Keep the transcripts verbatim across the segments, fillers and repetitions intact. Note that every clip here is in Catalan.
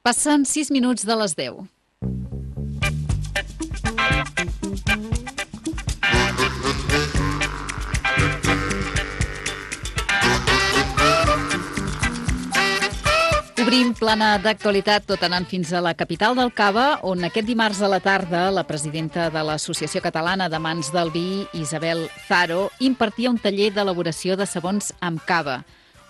Passen sis minuts de les deu. Obrim plana d'actualitat tot anant fins a la capital del Cava, on aquest dimarts a la tarda la presidenta de l'Associació Catalana d'Amants del Vi, Isabel Zaro, impartia un taller d'elaboració de sabons amb cava.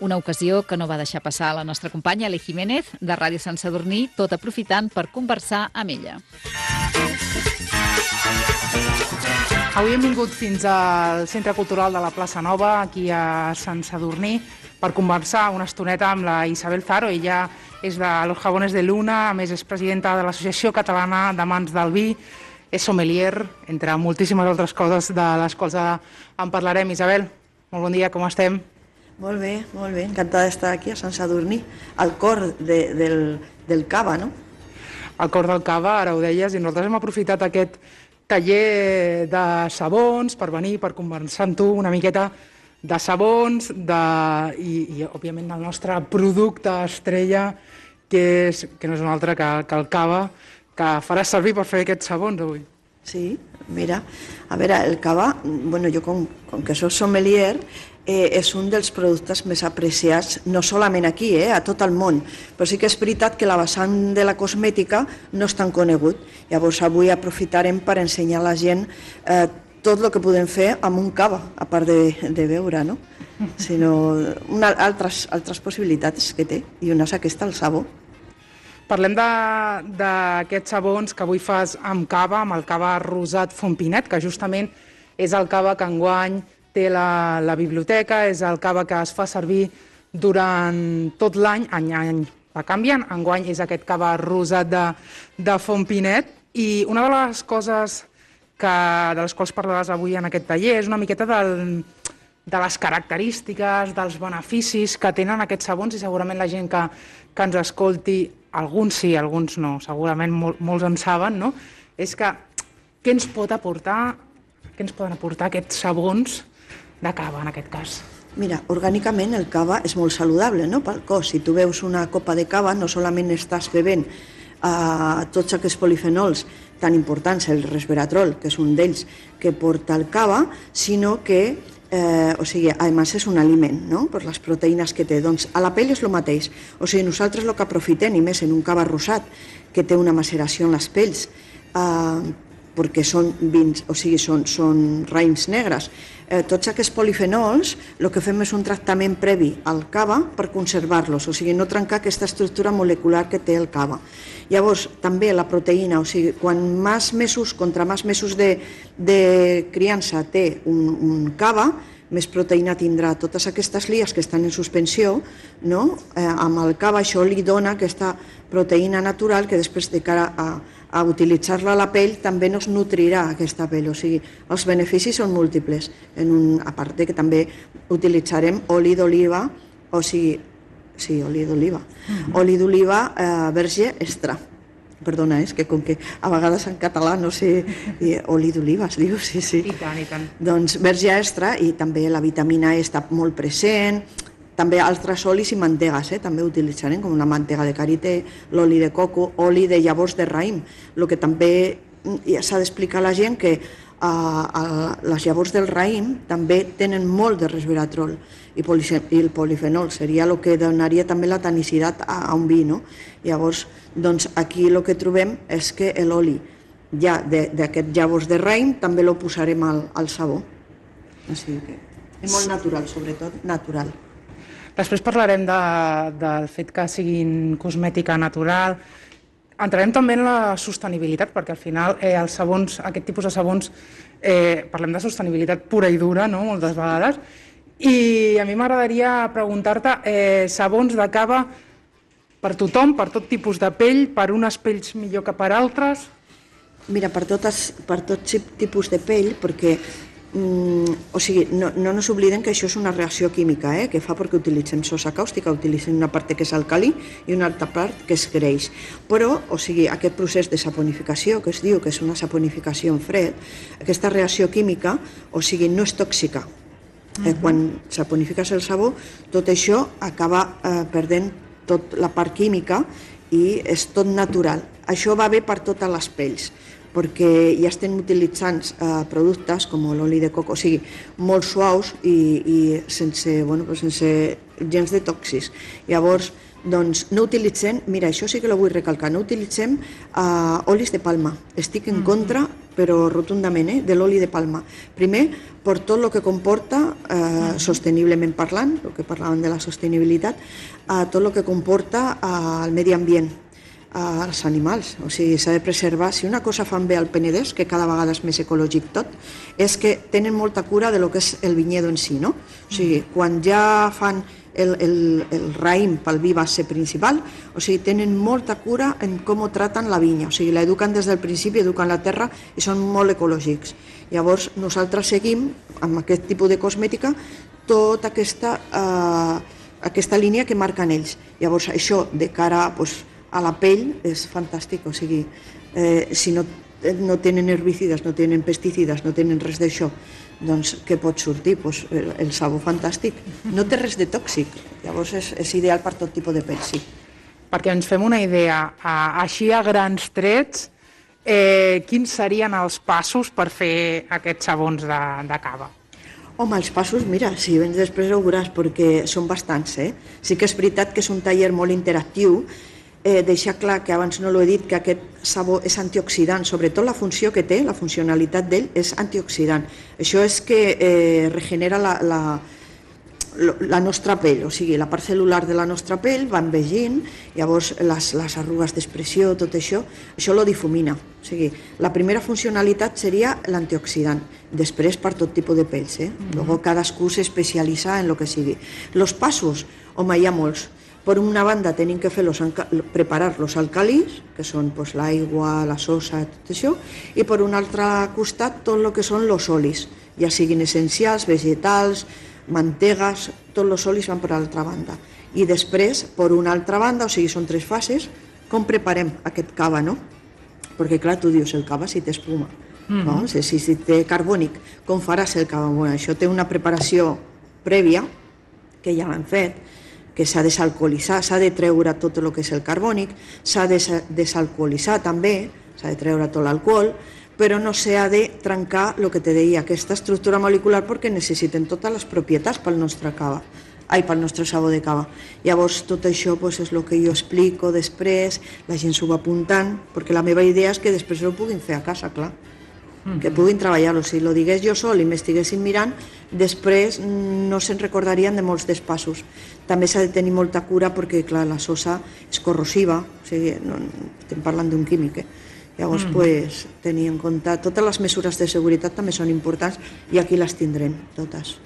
Una ocasió que no va deixar passar la nostra companya Eli Jiménez, de Ràdio Sant Sadurní, tot aprofitant per conversar amb ella. Avui hem vingut fins al Centre Cultural de la Plaça Nova, aquí a Sant Sadurní, per conversar una estoneta amb la Isabel Zaro. Ella és de Los Jabones de Luna, a més és presidenta de l'Associació Catalana d'Amants del Vi, és sommelier, entre moltíssimes altres coses de les quals en parlarem. Isabel, molt bon dia, com estem? Molt bé, molt bé, encantada d'estar aquí a Sant Sadurní, al cor de, del, del cava, no? Al cor del cava, ara ho deies, i nosaltres hem aprofitat aquest taller de sabons per venir, per conversar amb tu una miqueta de sabons de, i, i, òbviament, del nostre producte estrella, que, és, que no és un altre que, que el cava, que faràs servir per fer aquests sabons avui. Sí, mira, a veure, el cava, bueno, jo com, com que soc sommelier, eh, és un dels productes més apreciats, no solament aquí, eh, a tot el món, però sí que és veritat que la vessant de la cosmètica no és tan conegut. Llavors avui aprofitarem per ensenyar a la gent eh, tot el que podem fer amb un cava, a part de, de beure, no? Sinó una, altres, altres possibilitats que té, i una és aquesta, el sabó. Parlem d'aquests sabons que avui fas amb cava, amb el cava rosat Fompinet, que justament és el cava que enguany té la, la biblioteca, és el cava que es fa servir durant tot l'any, any a any va canviant. Enguany és aquest cava rosat de, de Fompinet, i una de les coses que, de les quals parlaràs avui en aquest taller és una miqueta del, de les característiques, dels beneficis que tenen aquests sabons, i segurament la gent que, que ens escolti, alguns sí, alguns no, segurament mol, molts en saben, no? És que què ens pot aportar, què ens poden aportar aquests sabons de cava, en aquest cas? Mira, orgànicament el cava és molt saludable, no?, pel cos. Si tu veus una copa de cava, no solament estàs bevent uh, tots aquests polifenols tan importants, el resveratrol, que és un d'ells que porta el cava, sinó que Eh, o sigui, a més és un aliment, no?, per les proteïnes que té. Doncs a la pell és el mateix. O sigui, nosaltres el que aprofitem, i més en un cava rosat, que té una maceració en les pells, eh, perquè són vins, o sigui, són, són raïms negres. Eh, tots aquests polifenols, el que fem és un tractament previ al cava per conservar-los, o sigui, no trencar aquesta estructura molecular que té el cava. Llavors, també la proteïna, o sigui, quan més mesos, contra més mesos de, de criança té un, un cava, més proteïna tindrà. Totes aquestes lies que estan en suspensió, no? eh, amb el cava això li dona aquesta proteïna natural que després de cara a, a utilitzar-la a la pell també no es nutrirà aquesta pell. O sigui, els beneficis són múltiples. En un, a part de que també utilitzarem oli d'oliva, o sigui, sí, oli d'oliva, mm-hmm. oli d'oliva eh, verge extra. Perdona, és que com que a vegades en català no sé, i, oli d'oliva es diu, sí, sí. I tant, i tant. Doncs verge extra, i també la vitamina E està molt present, també altres olis i mantegues, eh? També utilitzarem, com la mantega de karité, l'oli de coco, oli de llavors de raïm, el que també s'ha d'explicar a la gent que uh, uh, les llavors del raïm també tenen molt de resveratrol, i, i el polifenol seria el que donaria també la tanicitat a, a un vi, no? Llavors, doncs aquí el que trobem és que l'oli ja d'aquest llavors de raïm també lo posarem al, al sabó. O sigui que és molt natural, sobretot natural. Després parlarem de, del fet que siguin cosmètica natural. Entrarem també en la sostenibilitat, perquè al final eh, els sabons, aquest tipus de sabons, eh, parlem de sostenibilitat pura i dura, no?, moltes vegades. I a mi m'agradaria preguntar-te, eh, sabons de cava per tothom, per tot tipus de pell, per unes pells millor que per altres? Mira, per, totes, per tot tipus de pell, perquè mm, o sigui, no, no ens oblidem que això és una reacció química, eh, que fa perquè utilitzem sosa càustica, utilitzem una part que és alcalí i una altra part que és greix. Però, o sigui, aquest procés de saponificació, que es diu que és una saponificació en fred, aquesta reacció química, o sigui, no és tòxica. Eh, quan saponifiques el sabó, tot això acaba eh, perdent tota la part química i és tot natural. Això va bé per totes les pells, perquè ja estem utilitzant eh, productes com l'oli de coco, o sigui, molt suaus i, i sense, bueno, pues sense gens de tòxics. Llavors, doncs no utilitzem, mira, això sí que ho vull recalcar, no utilitzem uh, olis de palma. Estic en contra, però rotundament, eh, de l'oli de palma. Primer, per tot el que comporta, uh, sosteniblement parlant, el que parlàvem de la sostenibilitat, uh, tot el que comporta uh, el medi ambient, uh, els animals. O sigui, s'ha de preservar. Si una cosa fan bé al Penedès, que cada vegada és més ecològic tot, és que tenen molta cura de lo que és el vinyedo en si, no? O sigui, quan ja fan el, el, el raïm pel vi va ser principal, o sigui, tenen molta cura en com traten la vinya, o sigui, l'eduquen des del principi, eduquen la terra i són molt ecològics. Llavors, nosaltres seguim amb aquest tipus de cosmètica tota aquesta, eh, aquesta línia que marquen ells. Llavors, això de cara pues, a la pell és fantàstic, o sigui, eh, si no, no tenen herbicides, no tenen pesticides, no tenen res d'això, doncs què pot sortir? Pues el, el sabó fantàstic. No té res de tòxic, llavors és, és ideal per tot tipus de pell, sí. Perquè ens fem una idea, així a grans trets, eh, quins serien els passos per fer aquests sabons de, de cava? Home, els passos, mira, si vens després ho veuràs, perquè són bastants, eh? Sí que és veritat que és un taller molt interactiu. Eh, deixar clar que abans no l'he dit, que aquest sabó és antioxidant, sobretot la funció que té, la funcionalitat d'ell és antioxidant. Això és que eh, regenera la, la, la nostra pell, o sigui, la part cel·lular de la nostra pell va envellint, llavors les, les arrugues d'expressió, tot això, això lo difumina. O sigui, la primera funcionalitat seria l'antioxidant, després per tot tipus de pells, eh? Mm-hmm. Luego cadascú s'especialitza en el que sigui. Los passos, home, hi ha molts. Per una banda tenim que fer los, preparar los alcalis, que són pues, l'aigua, la sosa, tot això, i per un altre costat tot el que són los olis, ja siguin essencials, vegetals, mantegues, tots els olis van per l'altra banda. I després, per una altra banda, o sigui, són tres fases, com preparem aquest cava, no? Perquè clar, tu dius, el cava si té espuma, mm-hmm. no? Si, si, si té carbònic, com faràs el cava? Bueno, això té una preparació prèvia, que ja l'han fet, que s'ha de desalcoholitzar, s'ha de treure tot el que és el carbònic, s'ha de desalcoholitzar també, s'ha de treure tot l'alcohol, però no s'ha de trencar el que te deia, aquesta estructura molecular, perquè necessiten totes les propietats pel nostre cava, ai, pel nostre sabó de cava. Llavors, tot això pues, és el que jo explico després, la gent s'ho va apuntant, perquè la meva idea és que després ho puguin fer a casa, clar. Que puguin treballar-ho. Si lo digués jo sol i m'estiguessin mirant, després no se'n recordarien de molts dels passos. També s'ha de tenir molta cura perquè, clar, la sosa és corrosiva, o sigui, no, estem parlant d'un químic, eh? Llavors, mm. pues, tenir en compte, totes les mesures de seguretat també són importants i aquí les tindrem, totes.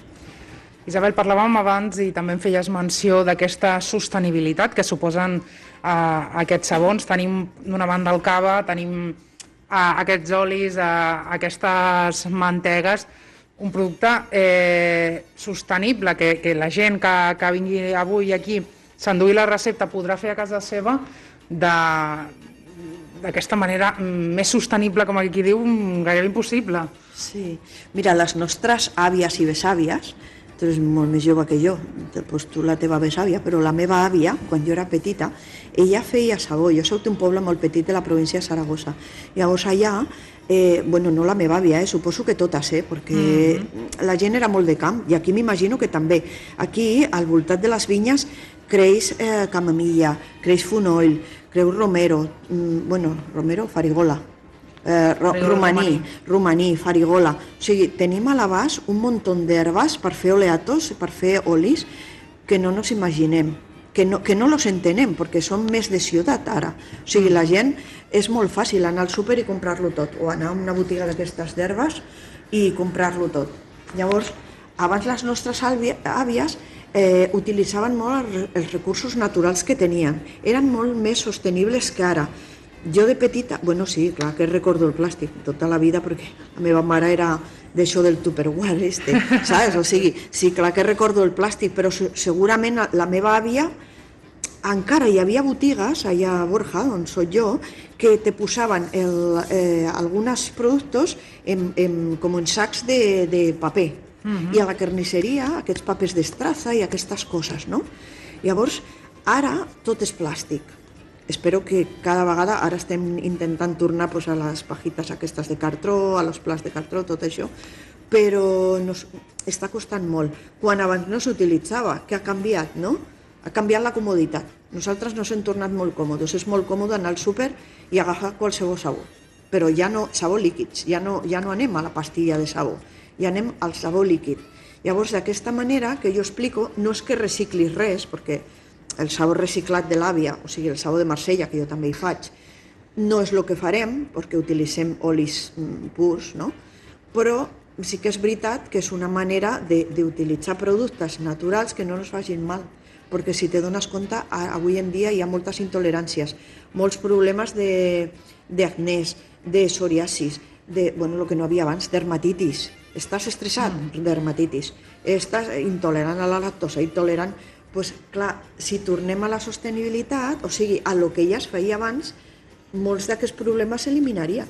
Isabel, parlàvem abans i també en feies menció d'aquesta sostenibilitat que suposen eh, aquests sabons. Tenim d'una banda el cava, tenim a aquests olis, a aquestes mantegues, un producte eh, sostenible, que, que la gent que, que vingui avui aquí s'enduï la recepta podrà fer a casa seva d'aquesta manera més sostenible, com aquí diu, gairebé impossible. Sí, mira, les nostres àvies i besàvies, tu ets molt més jove que jo, doncs tu la teva besàvia, però la meva àvia, quan jo era petita, ella feia sabó. Jo soc d'un poble molt petit de la província de Saragossa. Llavors allà, eh, bueno, no la meva àvia, eh, suposo que totes, eh, perquè mm-hmm. la gent era molt de camp, i aquí m'imagino que també. Aquí, al voltant de les vinyes, creix eh, camamilla, creix fonoll, creix romero, mm, bueno, romero, farigola, Eh, romaní, romaní, farigola. O sigui, tenim a l'abast un munt d'herbes per fer oleatos, per fer olis, que no nos imaginem, que no, que no los entenem, perquè són més de ciutat ara. O sigui, la gent és molt fàcil anar al súper i comprar-lo tot, o anar a una botiga d'aquestes d'herbes i comprar-lo tot. Llavors, abans les nostres àvies eh, utilitzaven molt els recursos naturals que tenien. Eren molt més sostenibles que ara. Jo de petita, bueno, sí, clar que recordo el plàstic tota la vida, perquè la meva mare era d'això del Tupperware, este, saps? O sigui, sí, clar que recordo el plàstic, però segurament la meva àvia, encara hi havia botigues allà a Borja, on soc jo, que te posaven el, eh, alguns productes en, en, com en sacs de, de paper. Uh-huh. I a la carnisseria, aquests papers d'estraza i aquestes coses, no? Llavors, ara tot és plàstic. espero que cada vegada, ara estem intentant tornar pues, a les pajites aquestes de cartró, a los plats de cartró, tot això, però nos, està costant molt. Quan abans no s'utilitzava, què ha canviat, no? Ha canviat la comoditat. Nosaltres nos hem tornat molt còmodes. És molt còmode anar al súper i agafar qualsevol sabó. Però ja no, sabó líquids, ja no, ja no anem a la pastilla de sabó, ja anem al sabó líquid. Llavors, d'aquesta manera que jo explico, no és que reciclis res, perquè el sabó reciclat de l'àvia, o sigui, el sabó de Marsella, que jo també hi faig, no és el que farem, perquè utilitzem olis purs, no? Però sí que és veritat que és una manera d'utilitzar productes naturals que no ens facin mal, perquè si te dones compte, avui en dia hi ha moltes intoleràncies, molts problemes d'acnès, de psoriasis, de, bueno, el que no havia abans, dermatitis. Estàs estressat? Mm. Dermatitis. Estàs intolerant a la lactosa, intolerant... Pues, clar, si tornem a la sostenibilitat, o sigui, a lo que ja es feia abans, molts d'aquests problemes s'eliminarien.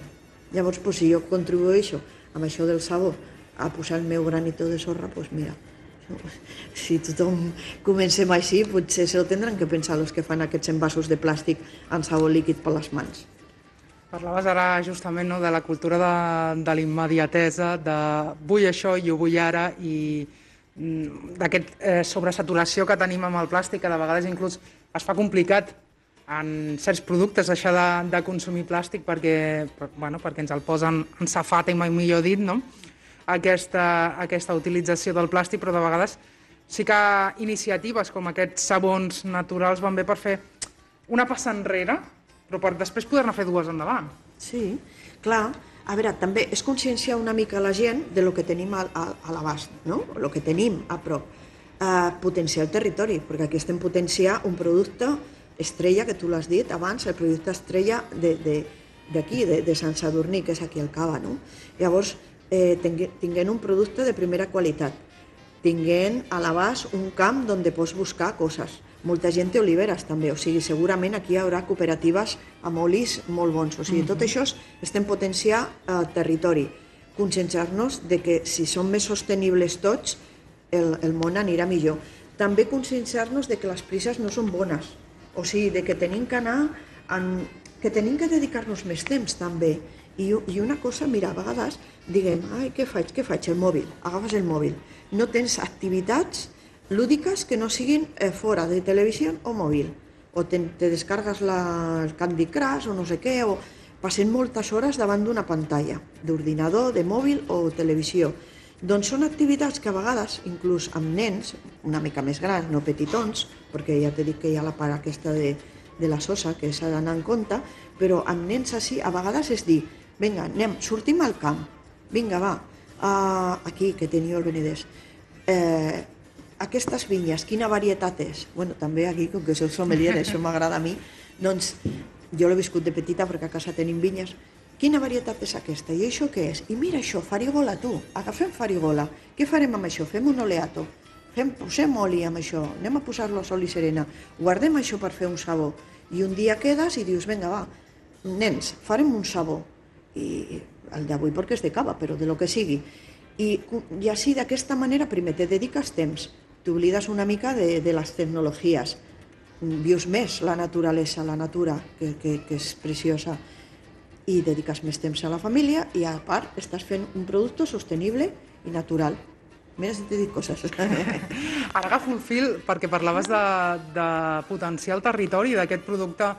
Llavors, pues, si jo contribueixo amb això del sabó a posar el meu granito de sorra, doncs pues mira, si tothom comencem així, potser se ho tindran que pensar els que fan aquests envasos de plàstic amb sabó líquid per les mans. Parlaves ara justament no, de la cultura de, de l'immediatesa, de vull això i ho vull ara, i d'aquest eh, sobresaturació que tenim amb el plàstic, que de vegades inclús es fa complicat en certs productes deixar de, de consumir plàstic perquè, per, bueno, perquè ens el posen en safata, i mai millor dit, no? Aquesta, aquesta utilització del plàstic, però de vegades sí que iniciatives com aquests sabons naturals van bé per fer una passa enrere, però per després poder-ne fer dues endavant. Sí, clar. A veure, també és conscienciar una mica la gent de lo que tenim a, a, a l'abast, no? El que tenim a prop. Uh, potenciar el territori, perquè aquí estem potenciar un producte estrella, que tu l'has dit abans, el producte estrella d'aquí, de, de, de Sant Sadurní, que és aquí al Cava, no? Llavors, eh, tinguent un producte de primera qualitat, tinguent a l'abast un camp on pots buscar coses. Molta gent té oliveres també, o sigui, segurament aquí hi haurà cooperatives amb olis molt bons. O sigui, tot això estem potenciant el territori, conscienciar-nos de que si som més sostenibles tots, el, el món anirà millor. També conscienciar-nos de que les prises no són bones, o sigui, de que tenim que anar, en, que tenim que dedicar-nos més temps també. I, I una cosa, mira, a vegades diguem, ai, què faig, què faig? El mòbil, agafes el mòbil. No tens activitats lúdiques que no siguin eh, fora de televisió o mòbil. O te, te descargues la, el Candy Crush o no sé què, o passen moltes hores davant d'una pantalla, d'ordinador, de mòbil o televisió. Doncs són activitats que a vegades, inclús amb nens, una mica més grans, no petitons, perquè ja t'he dit que hi ha la part aquesta de, de la sosa que s'ha d'anar en compte, però amb nens així, a vegades és dir, vinga, anem, sortim al camp, vinga, va, uh, aquí, que teniu el Benedès, eh, aquestes vinyes, quina varietat és? Bueno, també aquí, com que sou sommelier, això m'agrada a mi, doncs jo l'he viscut de petita perquè a casa tenim vinyes. Quina varietat és aquesta? I això què és? I mira això, farigola, tu, agafem farigola. Què farem amb això? Fem un oleato, fem, posem oli amb això, anem a posar-lo a sol i serena, guardem això per fer un sabó. I un dia quedes i dius, vinga, va, nens, farem un sabó. I el d'avui perquè és de cava, però de lo que sigui. I, i així, d'aquesta manera, primer te dediques temps, t'oblides una mica de, de les tecnologies, vius més la naturalesa, la natura, que, que, que és preciosa, i dediques més temps a la família i a part estàs fent un producte sostenible i natural. Mira si t'he dit coses. Ara agafo el fil perquè parlaves de, de potenciar el territori, d'aquest producte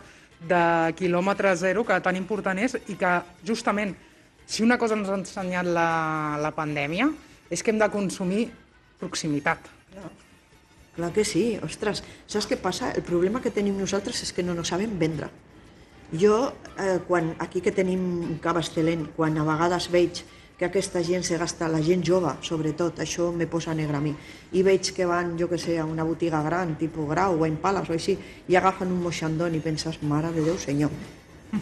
de quilòmetre zero que tan important és i que justament si una cosa ens ha ensenyat la, la pandèmia és que hem de consumir proximitat. No. Clar que sí, ostres, saps què passa? El problema que tenim nosaltres és que no nos sabem vendre. Jo, eh, quan, aquí que tenim un cava excel·lent, quan a vegades veig que aquesta gent se gasta, la gent jove, sobretot, això me posa negre a mi, i veig que van, jo que sé, a una botiga gran, tipus Grau o en Pales o així, i agafen un moixandón i penses, mare de Déu, senyor,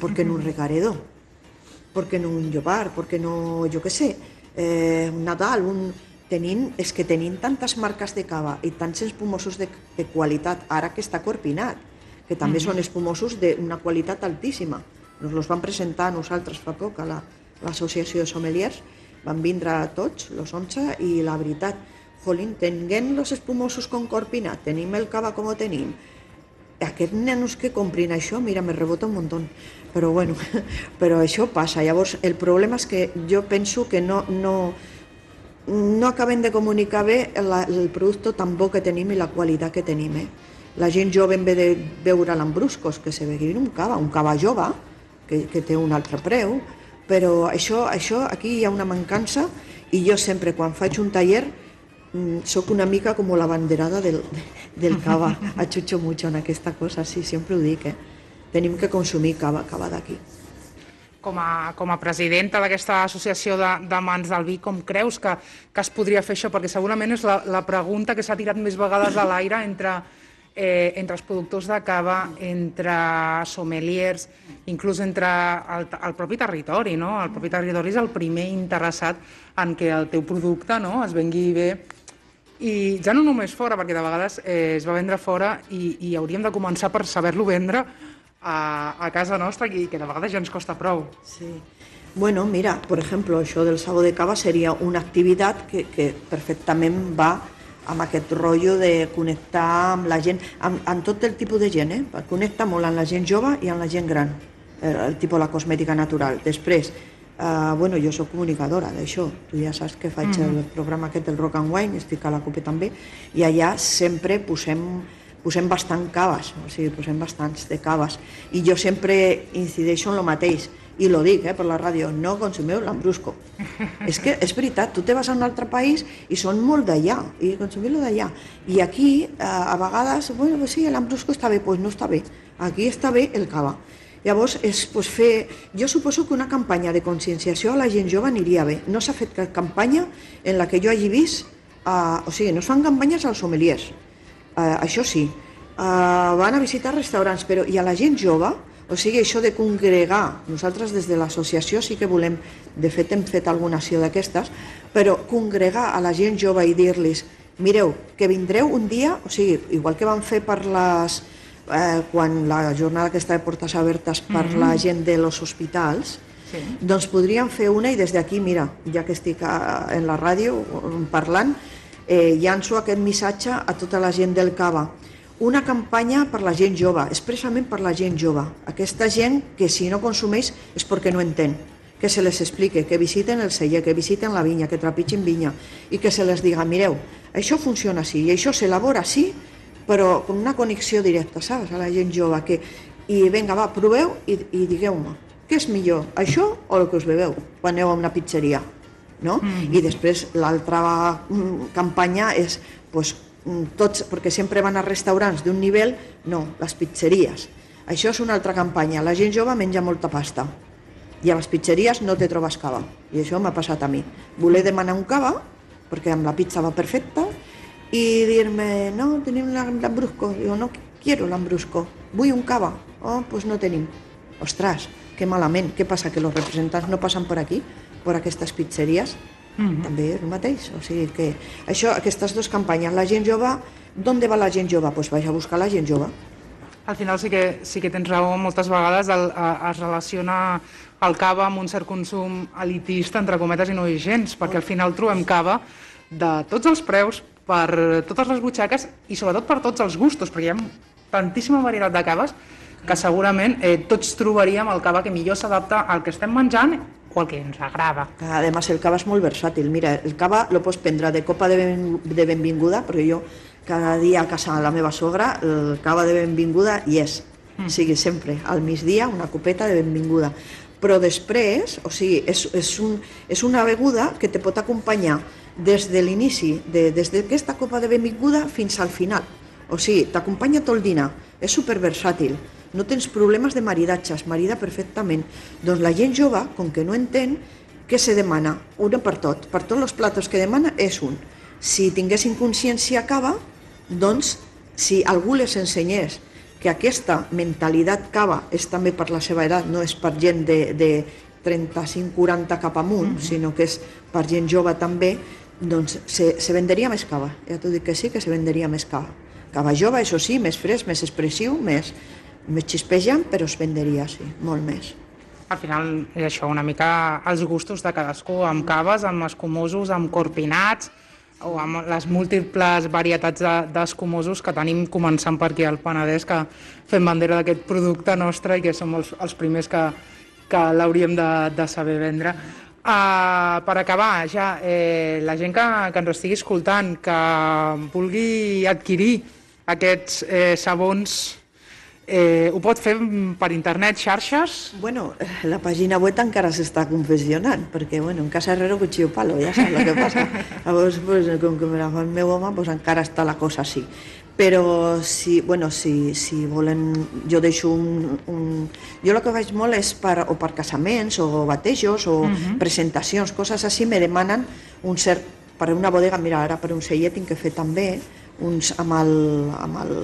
¿por qué no un recaredo? ¿Por qué no un llobar? ¿Por qué no, jo que sé, eh, un Nadal, un... Tenim, és que tenim tantes marques de cava i tants espumosos de, de qualitat, ara que està corpinat, que també mm-hmm. són espumosos d'una qualitat altíssima. Ens els van presentar a nosaltres fa poc a l'Associació la, de Sommeliers, van vindre tots, els onze, i la veritat, jolín, tenint els espumosos com corpinat, tenim el cava com ho tenim, aquests nenos que comprin això, mira, me rebota un muntó. Però bueno, però això passa. Llavors, el problema és que jo penso que no, no, no acabem de comunicar bé la, el producte tan bo que tenim i la qualitat que tenim. Eh? La gent jove, en vez de veure l'ambruscos, que se beguin un cava, un cava jove, que, que té un altre preu, però això, això aquí hi ha una mancança i jo sempre, quan faig un taller, soc una mica com la banderada del, del cava, achucho mucho en aquesta cosa, sí, sempre ho dic, eh? Tenim que consumir cava, cava d'aquí. Com a, com a presidenta d'aquesta associació de, de mans del vi, com creus que, que es podria fer això? Perquè segurament és la, la pregunta que s'ha tirat més vegades a l'aire entre, eh, entre els productors de cava, entre sommeliers, inclús entre el, el propi territori, no? El propi territori és el primer interessat en que el teu producte, no?, es vengui bé. I ja no només fora, perquè de vegades eh, es va vendre fora i, i hauríem de començar per saber-lo vendre a, a casa nostra, i que de vegades ja ens costa prou. Sí. Bueno, mira, por ejemplo, això del sabor de cava seria una activitat que, que perfectament va amb aquest rotllo de connectar amb la gent, amb, amb tot el tipus de gent, eh? Connecta molt amb la gent jove i amb la gent gran, el, el tipus la cosmètica natural. Després, Uh, bueno, jo soc comunicadora d'això, tu ja saps que faig mm. el programa aquest del Rock and Wine, estic a la COPE també, i allà sempre posem, posem bastant caves, o sigui, posem bastants de caves, i jo sempre incideixo en el mateix, i lo dic eh, per la ràdio, no consumeu l'ambrusco. És que és veritat, tu te vas a un altre país i són molt d'allà, i consumiu-lo d'allà. I aquí, uh, a vegades, bueno, pues sí, l'ambrusco està bé, doncs pues no està bé, aquí està bé el cava. Llavors, és, pues, fer... jo suposo que una campanya de conscienciació a la gent jove aniria bé. No s'ha fet cap campanya en la que jo hagi vist... Uh, o sigui, no es fan campanyes als sommeliers, uh, això sí. Uh, van a visitar restaurants, però i a la gent jove, o sigui, això de congregar, nosaltres des de l'associació sí que volem, de fet hem fet alguna acció d'aquestes, però congregar a la gent jove i dir-los, mireu, que vindreu un dia, o sigui, igual que van fer per les... Eh, quan la jornada aquesta de portes obertes per mm-hmm. la gent dels hospitals, sí. Doncs podríem fer una i des d'aquí, mira, ja que estic a, en la ràdio parlant, eh, llanço aquest missatge a tota la gent del cava. Una campanya per la gent jove, expressament per la gent jove. Aquesta gent que si no consumeix és perquè no entén. Que se les explique, que visiten el celler, que visiten la vinya, que trepitgin vinya i que se les diga, mireu, això funciona així i això s'elabora així, però com una connexió directa, saps? A la gent jove, que... I vinga, va, proveu i, i digueu-me, què és millor, això o el que us beveu quan aneu a una pizzeria, no? Mm. I després l'altra campanya és, pues, tots, perquè sempre van a restaurants d'un nivell, no, les pizzeries. Això és una altra campanya, la gent jove menja molta pasta i a les pizzeries no te trobes cava, i això m'ha passat a mi. Voler demanar un cava, perquè amb la pizza va perfecta, i dir-me, no, tenim l'ambrusco. Digo, no quiero l'ambrusco, vull un cava. Oh, pues no tenim. Ostres, que malament. Què passa, que els representants no passen per aquí, per aquestes pizzeries? Mm-hmm. També és el mateix. O sigui que això, aquestes dues campanyes, la gent jove, d'on va la gent jove? Doncs vaig a buscar la gent jove. Al final sí que, sí que tens raó, moltes vegades el, a, es relaciona el cava amb un cert consum elitista, entre cometes, i no és gens, perquè al final trobem cava de tots els preus, per totes les butxaques i sobretot per tots els gustos, perquè hi ha tantíssima varietat de caves que segurament eh, tots trobaríem el cava que millor s'adapta al que estem menjant o al que ens agrada. Además, el cava és molt versàtil. Mira, el cava lo pots prendre de copa de, ben, de benvinguda, perquè jo cada dia a casa de la meva sogra el cava de benvinguda hi és. Mm. O sigui, sempre, al migdia, una copeta de benvinguda. Però després, o sigui, és, és, un, és una beguda que te pot acompanyar des de l'inici, de, des d'aquesta copa de benvinguda fins al final. O sigui, t'acompanya tot el dinar, és superversàtil, no tens problemes de maridatge, es marida perfectament. Doncs la gent jove, com que no entén, què se demana? Una per tot, per tots els platos que demana és un. Si tinguessin consciència cava, doncs si algú les ensenyés que aquesta mentalitat cava és també per la seva edat, no és per gent de, de trenta-cinc quaranta cap amunt, mm-hmm. sinó que és per gent jove també, doncs se, se venderia més cava. Ja t'ho dic que sí, que se venderia més cava. Cava jove, això sí, més fresc, més expressiu, més, més xispejant, però es venderia, sí, molt més. Al final és això, una mica els gustos de cadascú, amb caves, amb escumosos, amb corpinats, o amb les múltiples varietats d'escumosos que tenim, començant per aquí al Penedès, que fem bandera d'aquest producte nostre i que som els, els primers que, que l'hauríem de, de saber vendre. Uh, per acabar, ja, eh, la gent que, que ens estigui escoltant, que vulgui adquirir aquests eh, sabons, Eh, ho pot fer per internet, xarxes? Bueno, la pàgina web encara s'està confeccionant, perquè, bueno, en casa herrero cuchillo palo, ja saps el que passa. Llavors, pues, com que me la fa el meu home, pues, encara està la cosa així. Però, si, bueno, si, si volen, jo deixo un, un... Jo el que faig molt és per, o per casaments, o batejos, o uh-huh. presentacions, coses així, me demanen un cert... Per una bodega, mira, ara per un cellet tinc que fer també, uns amb el... Amb el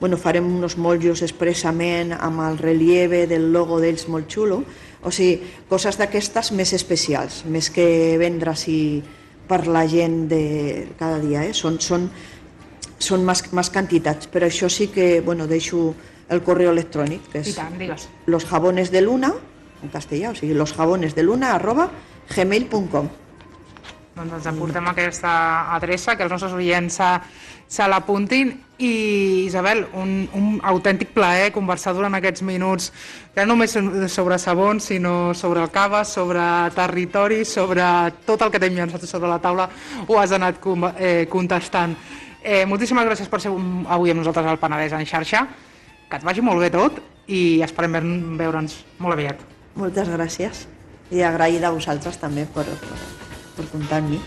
Bueno, farem uns motllos expressament amb el relieve del logo d'ells molt xulo, o sigui, coses d'aquestes més especials, més que vendre així per la gent de cada dia, eh? són, són, són més, més quantitats, però això sí que, bueno, deixo el correu electrònic, que és los jabones de luna, en castellà, o sigui, los jabones de luna arroba gmail punt com. Doncs ens aportem aquesta adreça, que els nostres oients se, se l'apuntin. I, Isabel, un, un autèntic plaer conversar durant aquests minuts, ja no només sobre sabons, sinó sobre el cava, sobre territori, sobre tot el que t'hem llançat sobre la taula, ho has anat eh, contestant. Eh, moltíssimes gràcies per ser avui amb nosaltres al Penedès en xarxa, que et vagi molt bé tot i esperem veure'ns molt aviat. Moltes gràcies i agraïda a vosaltres també per... per... per comptar amb mi.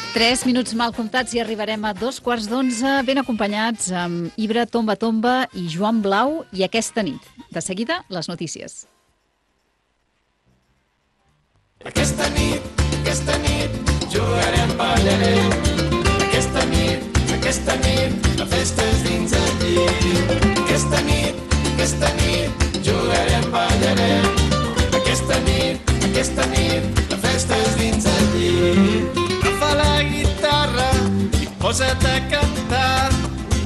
Tres minuts mal comptats i arribarem a dos quarts d'onze, ben acompanyats amb Ibra Tomba Tomba i Joan Blau, i aquesta nit. De seguida, les notícies. Aquesta nit, aquesta nit, jugarem, ballarem. Aquesta nit, aquesta nit, la festa és dins el llit. Aquesta nit, aquesta nit, jugarem, ballarem. Aquesta nit, aquesta nit, la festa és dins el llit. Agafa la guitarra i posa't a cantar.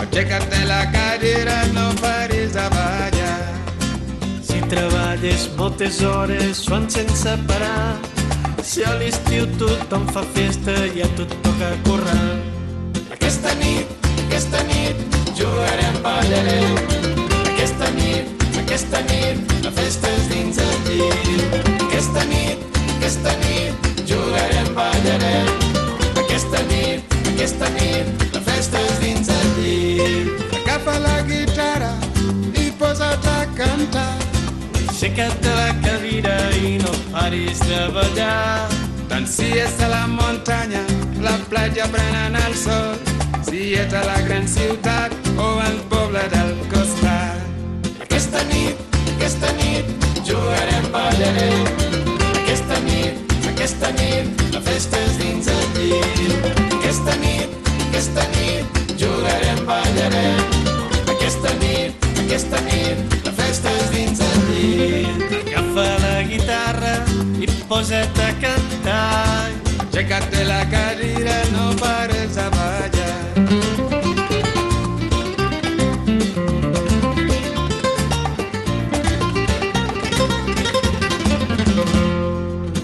Aixeca't de la cadira, no paris de ballar. Si treballes moltes hores, suant sense parar. Si a l'estiu tothom fa festa i a tu et toca currar. Aquesta nit, aquesta nit, jugarem, ballarem. Aquesta nit, aquesta nit, la festa és dins el llit. Aquesta nit, aquesta nit, jugarem, ballarem. Aquesta nit, aquesta nit, la festa és dins el llit. Agafa la guitarra i posa't a cantar. Aixeca't de la cadira i no paris de ballar. Tant si és a la muntanya, la platja prenent el sol, si ets a la gran ciutat o al poble del costat. Aquesta nit, aquesta nit, jugarem, ballarem. Aquesta nit, aquesta nit, la festa és dins el llit. Aquesta nit, aquesta nit, jugarem, ballarem. Aquesta nit, aquesta nit, la festa és dins el llit. Agafa la guitarra i posa't a cantar. Aixeca't de la cadira, no pares de ballar.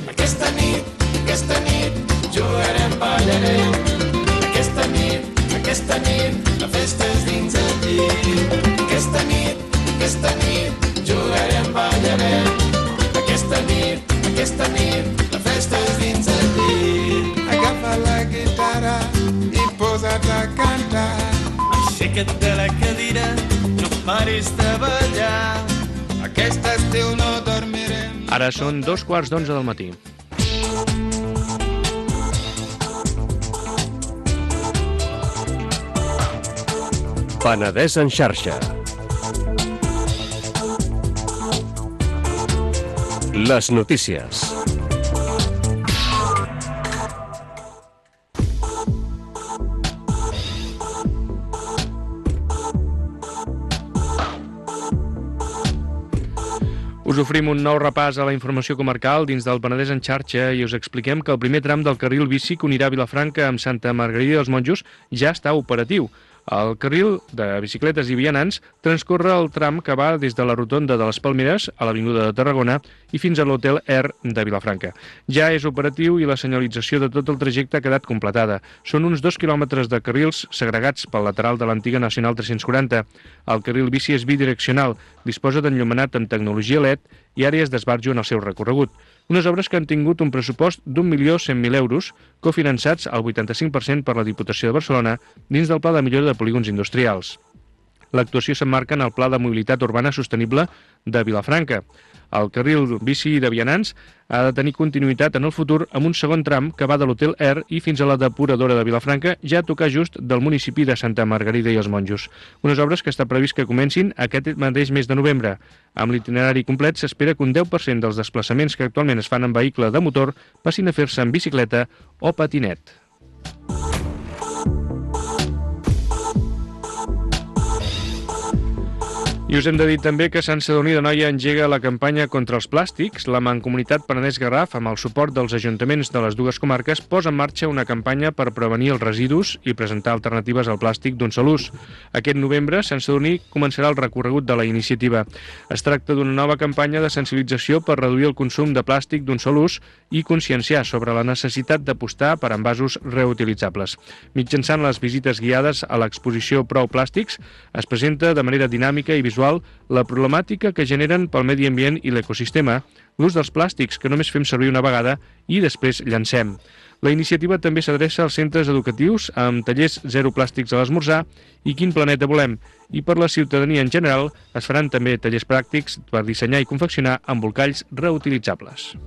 Aquesta nit, aquesta nit, jugarem, ballarem. Aquesta nit, aquesta nit, la festa és dins el llit. Aquesta nit, aquesta nit, jugarem, ballarem. Aquesta nit, aquesta nit, la festa és dins el llit. Agafa la guitarra i posa't a cantar. Aixeca't de la cadira, no paris de ballar. Aquest estiu no dormirem. Ara són dos quarts d'onze del matí. Penedès en xarxa. Les notícies. Us oferim un nou repàs a la informació comarcal dins del Penedès en xarxa i us expliquem que el primer tram del carril bici que unirà Vilafranca amb Santa Margarida dels Monjos ja està operatiu. El carril de bicicletes i vianants transcorre el tram que va des de la rotonda de les Palmeres a l'Avinguda de Tarragona i fins a l'Hotel Air de Vilafranca. Ja és operatiu i la senyalització de tot el trajecte ha quedat completada. Són uns dos quilòmetres de carrils segregats pel lateral de l'antiga Nacional tres-cents quaranta. El carril bici és bidireccional, disposa d'enllumenat amb tecnologia L E D i àrees d'esbarjo en el seu recorregut. Unes obres que han tingut un pressupost d'un milió cent mil euros, cofinançats al vuitanta-cinc per cent per la Diputació de Barcelona dins del Pla de Millora de Polígons Industrials. L'actuació s'emmarca en el Pla de Mobilitat Urbana Sostenible de Vilafranca. El carril bici de vianants ha de tenir continuïtat en el futur amb un segon tram que va de l'Hotel Air i fins a la depuradora de Vilafranca, ja a tocar just del municipi de Santa Margarida i els Monjos. Unes obres que està previst que comencin aquest mateix mes de novembre. Amb l'itinerari complet s'espera que un deu per cent dels desplaçaments que actualment es fan en vehicle de motor passin a fer-se en bicicleta o patinet. I us hem de dir també que Sant Sadurní d'Anoia engega la campanya contra els plàstics. La Mancomunitat Penedès-Garraf, amb el suport dels ajuntaments de les dues comarques, posa en marxa una campanya per prevenir els residus i presentar alternatives al plàstic d'un sol ús. Aquest novembre, Sant Sadurní començarà el recorregut de la iniciativa. Es tracta d'una nova campanya de sensibilització per reduir el consum de plàstic d'un sol ús i conscienciar sobre la necessitat d'apostar per envasos reutilitzables. Mitjançant les visites guiades a l'exposició Prou Plàstics, es presenta de manera dinàmica i visual la problemàtica que generen pel medi ambient i l'ecosistema, l'ús dels plàstics que només fem servir una vegada i després llancem. La iniciativa també s'adreça als centres educatius amb tallers zero plàstics a l'esmorzar i Quin planeta volem, i per la ciutadania en general es faran també tallers pràctics per dissenyar i confeccionar embolcalls reutilitzables.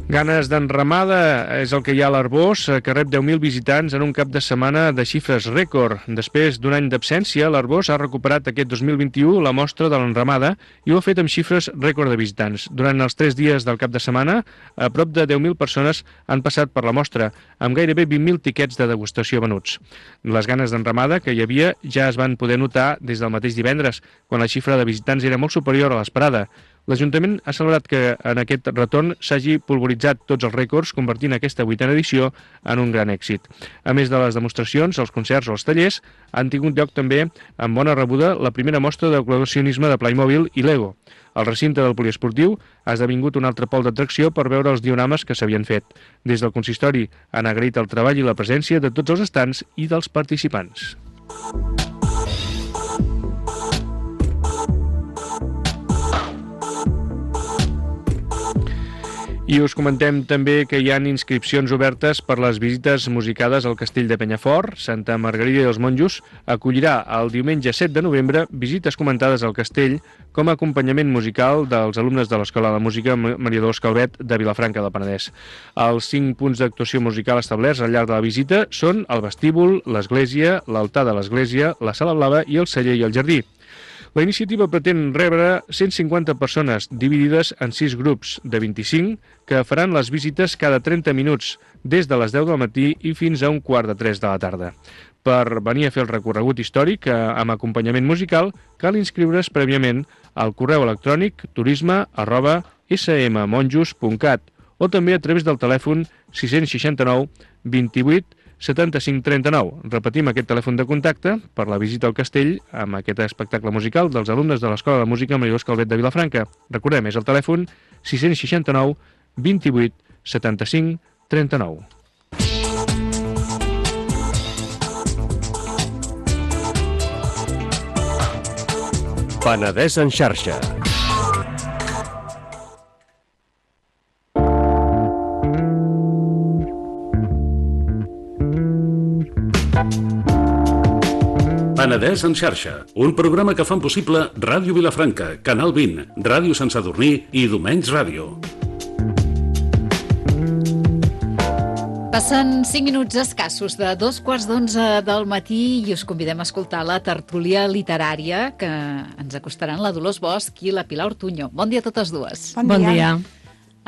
Ganes d'enramada és el que hi ha a l'Arbós, que rep deu mil visitants en un cap de setmana de xifres rècord. Després d'un any d'absència, l'Arbós ha recuperat aquest dos mil vint-i-u la mostra de l'enramada i ho ha fet amb xifres rècord de visitants. Durant els tres dies del cap de setmana, a prop de deu mil persones han passat per la mostra, amb gairebé vint mil tiquets de degustació venuts. Les ganes d'enramada que hi havia ja es van poder notar des del mateix divendres, quan la xifra de visitants era molt superior a l'esperada. L'Ajuntament ha celebrat que en aquest retorn s'hagi pulveritzat tots els rècords, convertint aquesta vuitena edició en un gran èxit. A més de les demostracions, els concerts o els tallers, han tingut lloc també, amb bona rebuda, la primera mostra de col·leccionisme de Playmobil i Lego. El recinte del poliesportiu ha esdevingut un altre pol d'atracció per veure els diorames que s'havien fet. Des del consistori han agraït el treball i la presència de tots els estants i dels participants. I us comentem també que hi ha inscripcions obertes per les visites musicades al Castell de Penyafort. Santa Margarida i els Monjos acollirà el diumenge set de novembre visites comentades al castell com a acompanyament musical dels alumnes de l'Escola de Música Maria Dolors Calvet de Vilafranca del Penedès. Els cinc punts d'actuació musical establerts al llarg de la visita són el vestíbul, l'església, l'altar de l'església, la sala blava i el celler i el jardí. La iniciativa pretén rebre cent cinquanta persones dividides en sis grups de vint-i-cinc que faran les visites cada trenta minuts des de les deu del matí i fins a un quart de tres de la tarda. Per venir a fer el recorregut històric amb acompanyament musical cal inscriure's prèviament al correu electrònic turisme arroba smmonjos punt cat o també a través del telèfon sis sis nou vint-i-vuit setanta-cinc trenta-nou. Repetim aquest telèfon de contacte per la visita al castell amb aquest espectacle musical dels alumnes de l'Escola de Música Maria Dolors Calvet de Vilafranca. Recordem, és el telèfon sis sis nou vint-i-vuit setanta-cinc trenta-nou. Penedès en xarxa. Penedès en xarxa, un programa que fan possible Ràdio Vilafranca, Canal vint, Ràdio Sant Sadurní i Domenys Ràdio. Passen cinc minuts escassos de dos quarts d'onze del matí i us convidem a escoltar la tertúlia literària que ens acostaran la Dolors Bosch i la Pilar Ortuño. Bon dia a totes dues. Bon dia. Bon dia.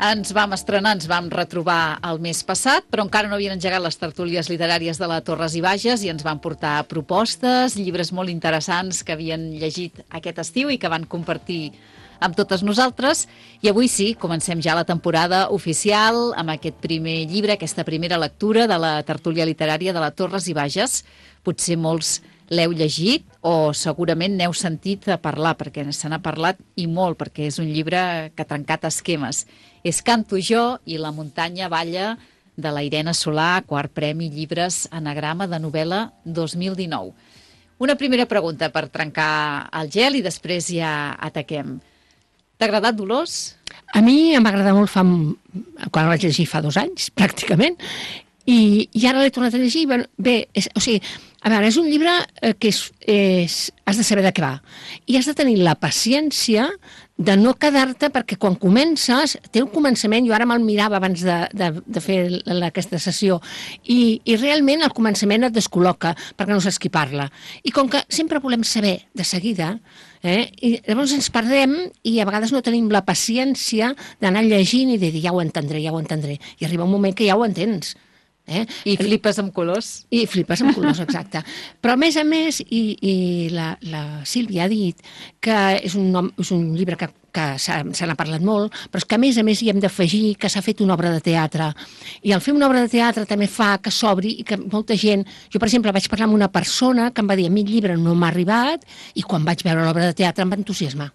Ens vam estrenar, ens vam retrobar el mes passat, però encara no havien engegat les tertúlies literàries de la Torres i Bages i ens van portar propostes, llibres molt interessants que havien llegit aquest estiu i que van compartir amb totes nosaltres. I avui sí, comencem ja la temporada oficial amb aquest primer llibre, aquesta primera lectura de la tertúlia literària de la Torres i Bages. Potser molts l'heu llegit o segurament n'heu sentit a parlar, perquè se n'ha parlat i molt, perquè és un llibre que ha trencat esquemes. És Canto jo i la muntanya balla, de la Irene Solà, quart premi Llibres Anagrama de novel·la dos mil dinou. Una primera pregunta per trencar el gel i després ja ataquem. T'ha agradat, Dolors? A mi em va agradar molt fa, quan el vaig llegir fa dos anys, pràcticament, i, i ara l'he tornat a llegir. Bé, és, o sigui, a veure, és un llibre que és, és, has de saber de què va. I has de tenir la paciència de no quedar-te, perquè quan comences, té un començament, jo ara me'l mirava abans de, de, de fer la, aquesta sessió, i, i realment el començament et descol·loca, perquè no saps qui parla. I com que sempre volem saber de seguida, eh, i llavors ens perdem i a vegades no tenim la paciència d'anar llegint i de dir ja ho entendré, ja ho entendré. I arriba un moment que ja ho entens. Eh? I flipes amb colors. I flipes amb colors, exacte. Però a més a més, i, i la, la Sílvia ha dit que és un, nom, és un llibre que, que se n'ha parlat molt, però és que a més a més hi hem d'afegir que s'ha fet una obra de teatre. I al fer una obra de teatre també fa que s'obri i que molta gent... Jo, per exemple, vaig parlar amb una persona que em va dir a mi el llibre no m'ha arribat i quan vaig veure l'obra de teatre em va entusiasmar.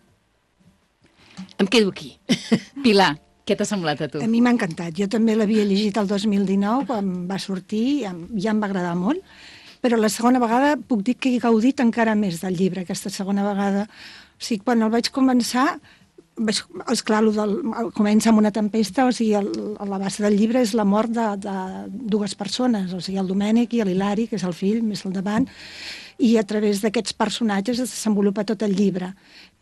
Em quedo aquí. Pilar, què t'ha semblat a tu? A mi m'ha encantat. Jo també l'havia llegit el dos mil dinou, quan va sortir, ja, ja em va agradar molt, però la segona vegada puc dir que he gaudit encara més del llibre, aquesta segona vegada. O sigui, quan el vaig començar, vaig, esclar, del, comença amb una tempesta, o sigui, el, la base del llibre és la mort de, de dues persones, o sigui, el Domènec i l'Hilari, que és el fill, més al davant, i a través d'aquests personatges es desenvolupa tot el llibre.